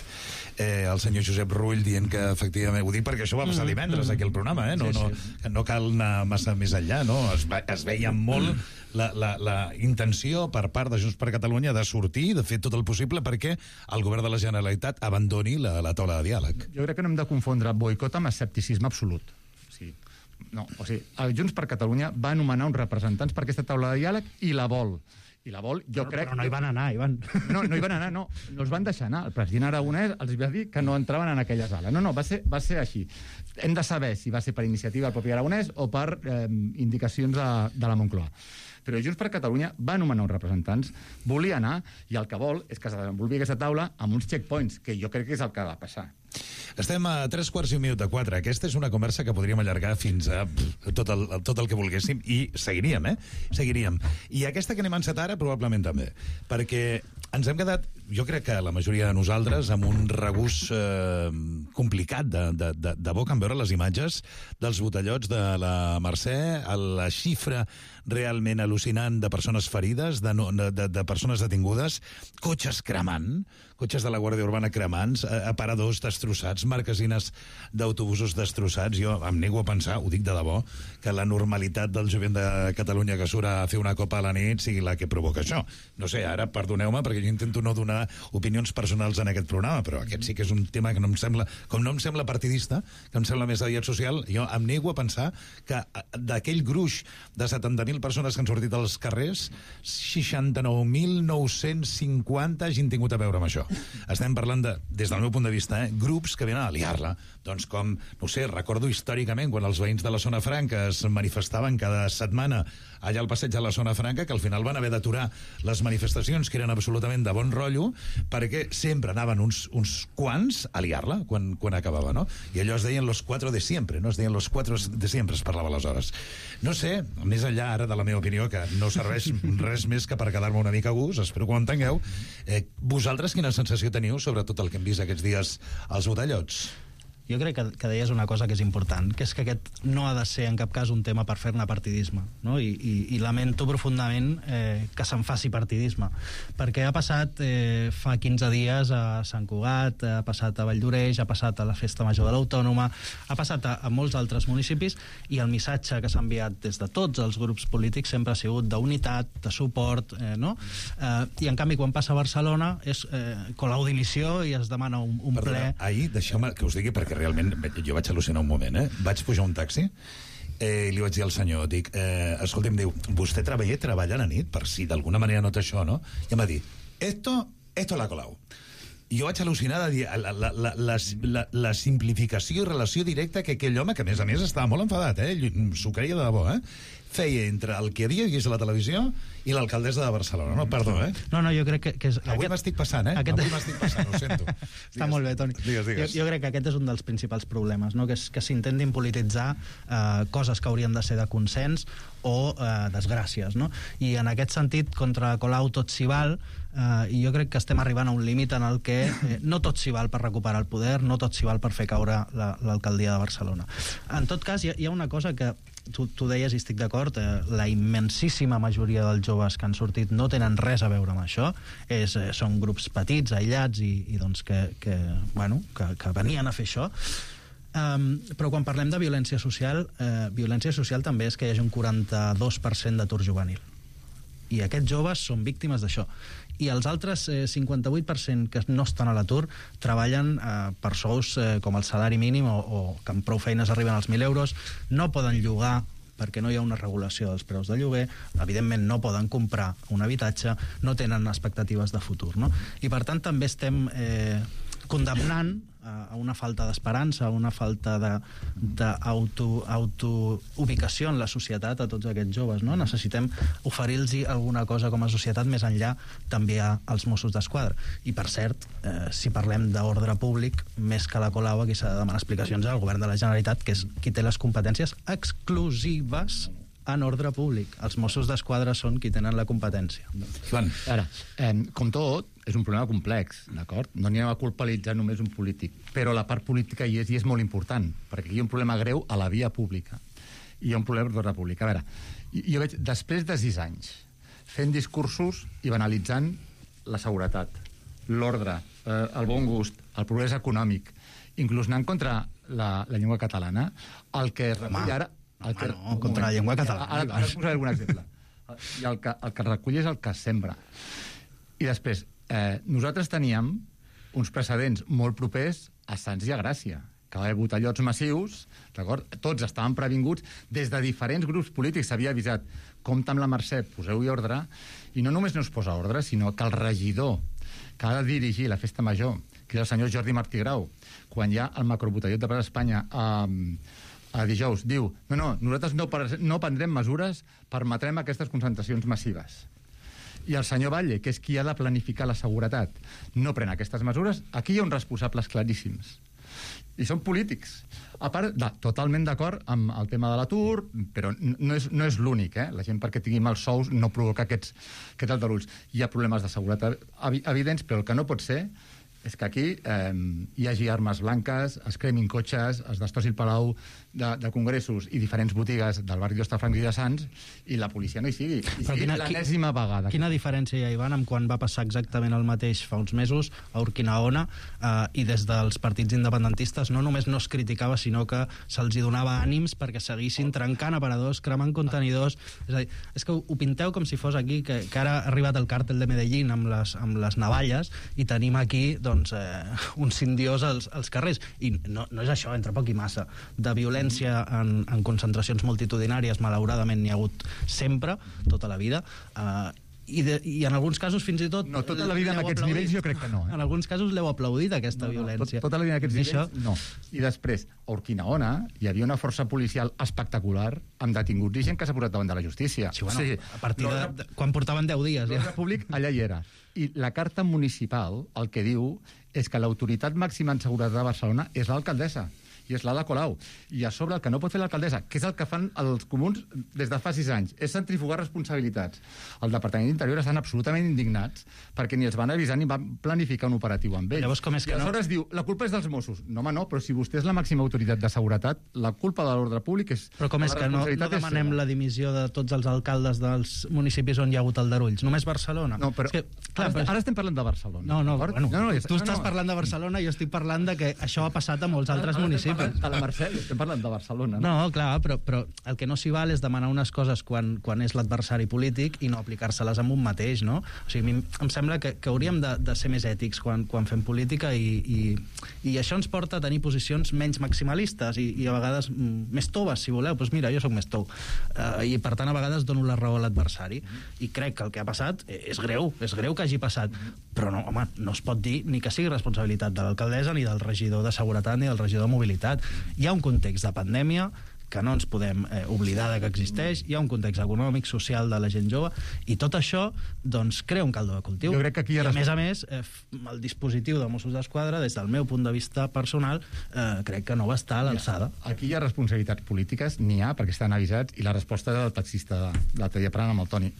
Speaker 6: el senyor Josep Rull dient que efectivament... Ho dic perquè això va passar divendres aquí al programa, no cal anar massa més enllà, no? Es veia molt la intenció per part de Junts per Catalunya de sortir, de fer tot el possible perquè el govern de la Generalitat abandoni la taula de diàleg.
Speaker 10: Jo crec que no hem de confondre boicot amb escepticisme absolut. El Junts per Catalunya va anomenar uns representants per aquesta taula de diàleg i la vol.
Speaker 11: Però no hi van anar, Ivan.
Speaker 10: No hi van anar, no els van deixar anar. El president Aragonès els va dir que no entraven en aquella sala. Va ser així. Hem de saber si va ser per iniciativa del propi Aragonès o per indicacions de la Moncloa. Però Junts per Catalunya va anomenar uns representants, volia anar, i el que vol és que se desenvolupi aquesta taula amb uns checkpoints, que jo crec que és el que ha de passar.
Speaker 6: Estem a 3:15. Aquesta és una conversa que podríem allargar fins a tot el que volguéssim i seguiríem. I aquesta que anem encetar ara probablement també, perquè ens hem quedat, jo crec que la majoria de nosaltres, amb un regust complicat de boca en veure les imatges dels botellots de la Mercè, la xifra realment al·lucinant de persones ferides, de persones detingudes, cotxes cremant, cotxes de la Guàrdia Urbana cremants, aparadors destrossats, marquesines d'autobusos destrossats. Jo em nego a pensar, ho dic de debò, que la normalitat del jovent de Catalunya que surt a fer una copa a la nit sigui la que provoca això. No sé, ara perdoneu-me perquè jo intento no donar opinions personals en aquest programa, però aquest sí que és un tema que no em sembla partidista, que em sembla més aviat social. Jo em nego a pensar que d'aquell gruix de 70.000 persones que han sortit als carrers, 69.950 hagin tingut a veure amb això. Estem parlant de, des del meu punt de vista, grups que venen a liar-la. Doncs com, no sé, recordo històricament quan els veïns de la Zona Franca es manifestaven cada setmana allà al passeig de la Zona Franca, que al final van haver d'aturar les manifestacions, que eren absolutament de bon rotllo, perquè sempre anaven uns quants a liar-la quan acabava, no? I allò es deien los cuatro de siempre, no? Es deien los cuatro de siempre, es parlava aleshores. No sé, més enllà ara de la meva opinió, que no serveix res més que per quedar-me una mica a gust, espero que ho entengueu, vosaltres quina sensació teniu sobre tot el que hem vist aquests dies als botellots?
Speaker 11: jo crec que deies una cosa que és important, que és que aquest no ha de ser en cap cas un tema per fer-ne partidisme, no? I lamento profundament que se'n faci partidisme, perquè ha passat fa 15 dies a Sant Cugat, ha passat a Valldoreix, ha passat a la Festa Major de l'Autònoma, ha passat a molts altres municipis, i el missatge que s'ha enviat des de tots els grups polítics sempre ha sigut d'unitat, de suport, no? I en canvi quan passa a Barcelona és colau dimissió i es demana un ple.
Speaker 6: Ahir, deixeu-me que us digui, perquè realment jo vaig al·lucinar un moment, vaig pujar un taxi i li vaig dir al senyor, dic, escolta'm, diu, vostè treballa a la nit, per si d'alguna manera nota això, no? I em va dir, esto la Colau. I jo vaig al·lucinar de dir la simplificació i relació directa que aquell home, que a més estava molt enfadat, s'ho creia de debò, feia entre el que havia vist a la televisió i l'alcaldessa de Barcelona. No, perdó,
Speaker 11: No, jo crec que és...
Speaker 6: Avui m'estic passant, Avui m'estic passant, ho sento.
Speaker 11: Està molt bé, Toni.
Speaker 6: Digues.
Speaker 11: Jo crec que aquest és un dels principals problemes, no? Que s'intentin polititzar coses que haurien de ser de consens o desgràcies, no? I en aquest sentit, contra Colau tot s'hi val, i jo crec que estem arribant a un límit en el que no tot s'hi val per recuperar el poder, no tot s'hi val per fer caure l'alcaldia de Barcelona. En tot cas, hi ha una cosa que tu deies i estic d'acord, la immensíssima majoria dels joves que han sortit no tenen res a veure amb això, són grups petits, aïllats i doncs que venien a fer això. Però quan parlem de violència social també és que hi hagi un 42% d'atur juvenil, i aquests joves són víctimes d'això, i els altres 58% que no estan a l'atur treballen per sous com el salari mínim o que amb prou feines arriben als 1.000 euros, no poden llogar perquè no hi ha una regulació dels preus de lloguer, evidentment no poden comprar un habitatge, no tenen expectatives de futur, no? I per tant també estem condemnant a una falta d'esperança, a una falta d'autoubicació en la societat a tots aquests joves, no? Necessitem oferir-los alguna cosa com a societat més enllà també als Mossos d'Esquadra. I per cert, si parlem d'ordre públic, més que la Colau, aquí s'ha de demanar explicacions al govern de la Generalitat, que és qui té les competències exclusives en ordre públic. Els Mossos d'Esquadra són qui tenen la competència.
Speaker 10: Ara, com tot, és un problema complex, d'acord? No n'hi ha a culpabilitzar només un polític, però la part política hi és molt important, perquè aquí hi ha un problema greu a la via pública i hi ha un problema d'ordre públic. A veure, jo veig, després de 6 anys fent discursos i banalitzant la seguretat, l'ordre, el bon gust, el progrés econòmic, inclús anant contra la llengua catalana, el que recull ara...
Speaker 11: contra la llengua catalana.
Speaker 10: Ara posaré algun exemple. I el que recull és el que sembra. I després, nosaltres teníem uns precedents molt propers a Sants i a Gràcia, que va haver botellots massius, d'acord? Tots estaven previnguts, des de diferents grups polítics s'havia avisat, compta amb la Mercè, poseu-hi ordre, i no només no es posa ordre, sinó que el regidor que ha de dirigir la festa major, que és el senyor Jordi Martí Grau, quan hi ha el macrobotellot de Plaça Espanya a dijous, diu, nosaltres no prendrem mesures, permetrem aquestes concentracions massives. I el senyor Batlle, que és qui ha de planificar la seguretat, no pren aquestes mesures. Aquí hi ha uns responsables claríssims. I són polítics. A part, totalment d'acord amb el tema de l'atur, però no és l'únic, La gent perquè tingui mals sous no provoca aquests aldarulls. Hi ha problemes de seguretat evidents, però el que no pot ser és que aquí hi hagi armes blanques, es cremin cotxes, es destrossi el Palau de Congressos i diferents botigues del barri d'Hostafrancs i de Sants, i la policia no hi sigui. I sigui l'enèsima vegada.
Speaker 11: Quina diferència hi ha, Ivan, amb quan va passar exactament el mateix fa uns mesos a Urquinaona, i des dels partits independentistes no només no es criticava, sinó que se'ls donava ànims perquè seguissin trencant aparadors, cremant contenidors. És a dir, és que ho pinteu com si fos aquí, que ara ha arribat el càrtel de Medellín amb les navalles, i tenim aquí un cindiós als carrers. I no és això, entre poc i massa. De violència en concentracions multitudinàries, malauradament n'hi ha hagut sempre, tota la vida, i en alguns casos fins i tot...
Speaker 10: No, tota la vida en aquests nivells jo crec que no.
Speaker 11: En alguns casos l'heu aplaudit, aquesta violència.
Speaker 10: Tota la vida en aquests nivells, no. I després, a Urquinaona hi havia una força policial espectacular amb detinguts i gent que s'ha posat davant de la justícia.
Speaker 11: Sí, bueno, a partir de quan portaven 10 dies.
Speaker 10: L'ordre públic allà hi era. I la carta municipal el que diu és que l'autoritat màxima en seguretat de Barcelona és l'alcaldessa. i és l'Ada Colau. I a sobre el que no pot fer l'alcaldessa, que és el que fan els comuns des de fa 6 anys, és centrifugar responsabilitats. El Departament d'Interior estan absolutament indignats perquè ni els van avisar ni van planificar un operatiu amb ells.
Speaker 11: Llavors, com és que
Speaker 10: I aleshores diu, la culpa és dels Mossos. No, home, no, però si vostè és la màxima autoritat de seguretat, la culpa de l'ordre públic és...
Speaker 11: Però com és que no demanem la dimissió de tots els alcaldes dels municipis on hi ha hagut aldarulls? Només Barcelona?
Speaker 10: No, però...
Speaker 11: És que, clar,
Speaker 10: ara estem parlant de Barcelona.
Speaker 11: Tu estàs parlant de Barcelona i jo estic parlant de que això ha passat a molts altres municipis.
Speaker 10: A la Mercè, estem parlant de Barcelona.
Speaker 11: No, clar, però el que no s'hi val és demanar unes coses quan és l'adversari polític i no aplicar-se-les amb un mateix, no? O sigui, a mi em sembla que hauríem de ser més ètics quan fem política i això ens porta a tenir posicions menys maximalistes i a vegades més toves, si voleu. Doncs mira, jo sóc més tou. I per tant, a vegades dono la raó a l'adversari. I crec que el que ha passat és greu que hagi passat. Però no, home, no es pot dir ni que sigui responsabilitat de l'alcaldessa, ni del regidor de Seguretat, ni del regidor de Mobilitat. Hi ha un context de pandèmia que no ens podem oblidar que existeix, hi ha un context econòmic, social de la gent jove, i tot això doncs, crea un caldo de cultiu.
Speaker 10: Jo crec que aquí
Speaker 11: I a més, el dispositiu de Mossos d'Esquadra, des del meu punt de vista personal, crec que no va estar a l'alçada.
Speaker 10: Aquí hi ha responsabilitats polítiques, n'hi ha, perquè estan avisats, i la resposta del taxista de l'altre dia parlant amb el Toni.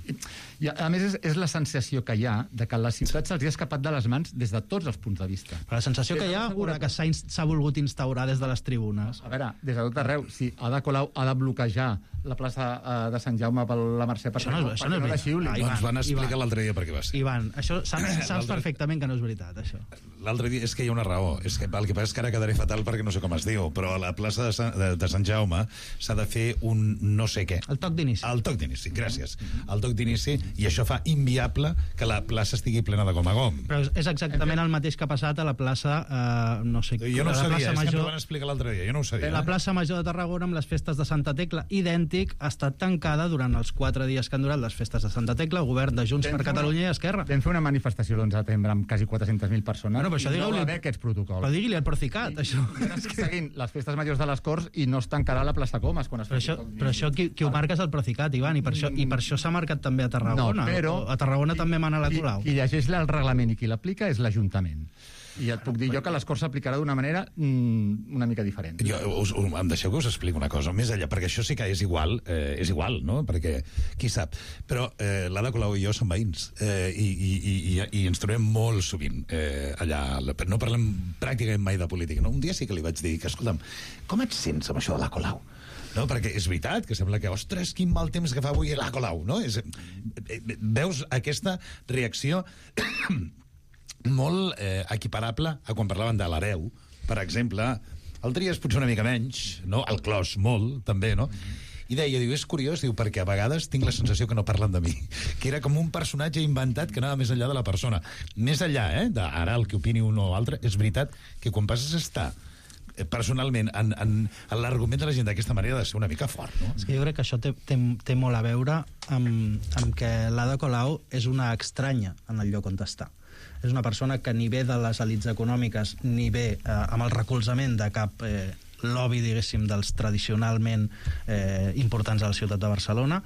Speaker 10: I a més, és la sensació que hi ha de que la ciutat se'ls ha escapat de les mans des de tots els punts de vista.
Speaker 11: Però la sensació que hi ha, una que s'ha volgut instaurar des de les tribunes.
Speaker 10: A veure, des de tot arreu, si Ada Colau ha de bloquejar la plaça de Sant Jaume per la Mercè per
Speaker 11: no
Speaker 6: la xiuli. Doncs van explicar l'altre dia per què va ser.
Speaker 11: Ivan, això saps perfectament que no és veritat, això.
Speaker 6: L'altre dia és que hi ha una raó. És que el que passa és que ara quedaré fatal perquè no sé com es diu, però a la plaça de Sant Jaume s'ha de fer un no sé què.
Speaker 11: El toc d'inici.
Speaker 6: El toc d'inici, gràcies. El toc d'inici, i això fa inviable que la plaça estigui plena de gom a gom.
Speaker 11: Però és exactament el mateix que ha passat a la plaça, no sé...
Speaker 6: Jo no ho sabia, és que m'ho van explicar l'altre dia, jo no ho sabia.
Speaker 11: La plaça Major de Tarragona, amb les festes de Santa Tecla, idèntic, ha estat tancada durant els 4 dies que han durat les festes de Santa Tecla, el govern de Junts per Catalunya i Esquerra.
Speaker 10: Vam fer una manifestació l'11 de setembre amb quasi 400.000 persones.
Speaker 11: Però això
Speaker 10: no va haver aquests protocols.
Speaker 11: Però digui-li al Procicat, això.
Speaker 10: Estic seguint les festes majors de les Corts i no es tancarà la plaça Comas quan es fa.
Speaker 11: Però això qui ho marca és el Procicat, Ivan, i per això s'ha marcat també a Tarragona.
Speaker 10: No, però...
Speaker 11: A Tarragona també mana la Colau.
Speaker 10: Qui llegeix el reglament i qui l'aplica és l'Ajuntament. I et puc dir jo que les Corts s'aplicarà d'una manera una mica diferent.
Speaker 6: Em deixeu que us expliqui una cosa, més enllà, perquè això sí que és igual, no? Perquè qui sap. Però l'Ada Colau i jo som veïns i ens trobem molt sovint allà. No parlem pràcticament mai de política. No? Un dia sí que li vaig dir que, escolta'm, com et sents amb això de la Colau? No, perquè és veritat que sembla que, ostres, quin mal temps que fa avui la Colau, no? Veus aquesta reacció molt equiparable a quan parlaven de l'hereu, per exemple. El Trias potser una mica menys, no? El Clos molt, també, no? I deia, diu, és curiós, diu, perquè a vegades tinc la sensació que no parlen de mi, que era com un personatge inventat que anava més enllà de la persona. Més enllà, d'ara el que opini un o altre, és veritat que quan passes a estar personalment en l'argument de la gent d'aquesta manera ha de ser una mica fort, no?
Speaker 11: És que jo crec que això té molt a veure amb que l'Ada Colau és una estranya en el lloc on està. És una persona que ni ve de les elits econòmiques ni ve amb el recolzament de cap lobby, diguéssim, dels tradicionalment importants a la ciutat de Barcelona,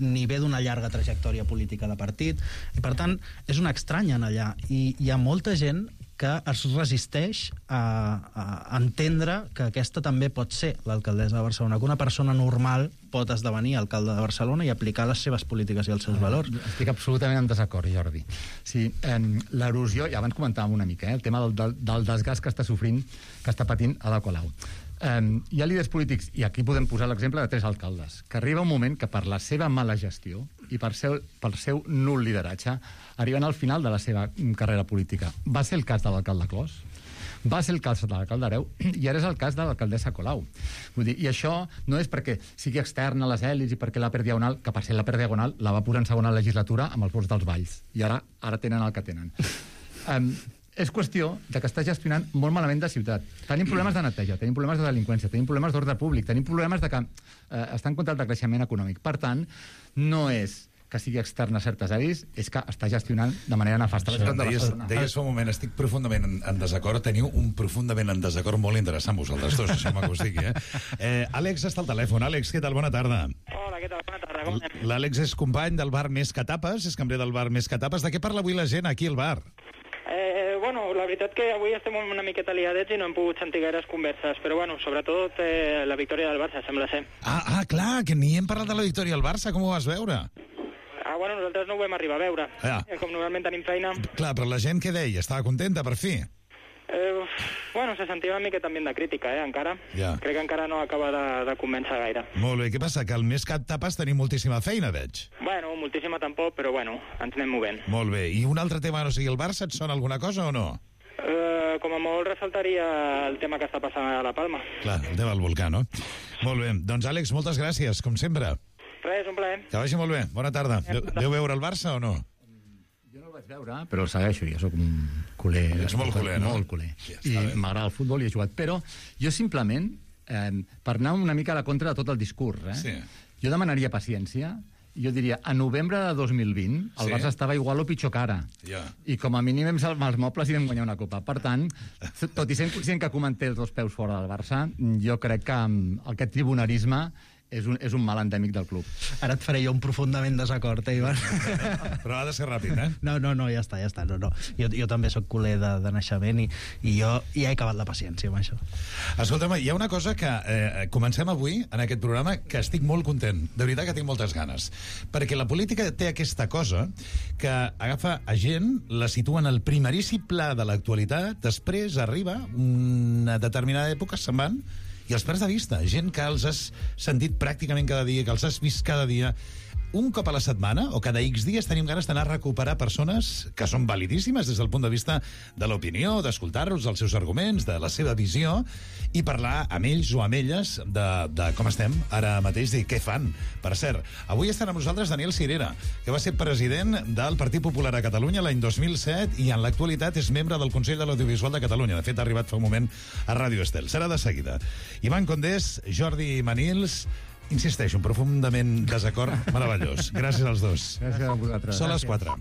Speaker 11: ni ve d'una llarga trajectòria política de partit, i per tant és una estranya en allà, i hi ha molta gent que es resisteix a entendre que aquesta també pot ser l'alcaldessa de Barcelona, que una persona normal pot esdevenir alcalde de Barcelona i aplicar les seves polítiques i els seus valors.
Speaker 10: Estic absolutament en desacord, Jordi. Sí, l'erosió, ja abans comentàvem una mica, el tema del desgast que està patint Ada Colau. Hi ha líders polítics, i aquí podem posar l'exemple de 3 alcaldes, que arriba un moment que per la seva mala gestió i per seu nul lideratge arriben al final de la seva carrera política. Va ser el cas de l'alcalde Clos, va ser el cas de l'alcalde Hereu, i ara és el cas de l'alcaldessa Colau. Vull dir, i això no és perquè sigui extern a les èlits i perquè la Per Diagonal, que per ser la Per Diagonal la va posar en segona legislatura amb els vots dels Valls, i ara tenen el que tenen. És qüestió de que està gestionant molt malament de ciutat. Tenim problemes de neteja, tenim problemes de delinqüència, tenim problemes d'ordre públic, tenim problemes de que està en contra del creixement econòmic. Per tant, no és que sigui extern a certes àrees, és que està gestionant de manera nefasta la ciutat de Barcelona.
Speaker 6: Deies fa un moment, estic profundament en desacord, teniu un profundament en desacord molt interessant vosaltres dos, això que us digui, Àlex està al telèfon. Àlex, què tal? Bona tarda.
Speaker 14: Hola, què tal? Bona tarda, com anem?
Speaker 6: L'Àlex és company del bar Més que Tapes, és cambrer del bar Més que Tapes. De què parla avui la gent aquí al bar?
Speaker 14: Bueno, la veritat que avui estem una miqueta liadets i no hem pogut sentir gaires converses, però bueno, sobretot la victòria del Barça, sembla ser.
Speaker 6: Clar, que ni hem parlat de la victòria del Barça, com ho vas veure?
Speaker 14: Bueno, nosaltres no ho vam arribar a veure. Com normalment tenim feina.
Speaker 6: Clar, però la gent què deia? Estava contenta, per fi?
Speaker 14: Bueno, se sentia una miqueta ambient de crítica, encara. Crec que encara no acaba de convèncer gaire.
Speaker 6: Molt bé, què passa? Que al mes cap tapes tenim moltíssima feina, veig.
Speaker 14: Bueno, moltíssima tampoc, però bueno, ens anem movent.
Speaker 6: Molt bé, i un altre tema, no sigui el Barça, et sona alguna cosa o no?
Speaker 14: Com a molt ressaltaria el tema que està passant a La Palma.
Speaker 6: Clar, el tema del volcà, no? Molt bé, doncs Àlex, moltes gràcies, com sempre.
Speaker 14: Res, un plaer.
Speaker 6: Que vagi molt bé, bona tarda. Deu veure el Barça o no?
Speaker 10: Vaig veure, però el segueixo, jo sóc un culer.
Speaker 6: Ets molt culer, no?
Speaker 10: Molt culer. I m'agrada el futbol i he jugat. Però jo simplement, per anar una mica a la contra de tot el discurs, jo demanaria paciència. Jo diria, a novembre de 2020 el Barça estava igual o pitjor que ara. I com a mínim vam salvar els mobles i vam guanyar una copa. Per tant, tot i sent conscient que comenté els dos peus fora del Barça, jo crec que aquest tribunarisme és un mal endèmic del club.
Speaker 11: Ara et faré jo un profundament desacord, Ivan?
Speaker 6: Però ha de ser ràpid,
Speaker 11: No, ja està. No. Jo també sóc culer de naixement i jo ja he acabat la paciència amb això.
Speaker 6: Escolta'm, hi ha una cosa que comencem avui en aquest programa que estic molt content. De veritat que tinc moltes ganes. Perquè la política té aquesta cosa que agafa a gent, la situa en el primeríssim pla de l'actualitat, després arriba una determinada època, se'n van, i els perds de vista, gent que els has sentit pràcticament cada dia, que els has vist cada dia. Un cop a la setmana, o cada X dies, tenim ganes d'anar a recuperar persones que són validíssimes des del punt de vista de l'opinió, d'escoltar-los, dels seus arguments, de la seva visió, i parlar amb ells o amb elles de com estem ara mateix i què fan. Per cert, avui estarà amb nosaltres Daniel Sirera, que va ser president del Partit Popular a Catalunya l'any 2007 i en l'actualitat és membre del Consell de l'Audiovisual de Catalunya. De fet, ha arribat fa un moment a Ràdio Estel. Serà de seguida. Ivan Condés, Jordi Manils, insisteixo, un profundament desacord meravellós. Gràcies als dos.
Speaker 10: Gràcies a vosaltres.
Speaker 6: Són les 4.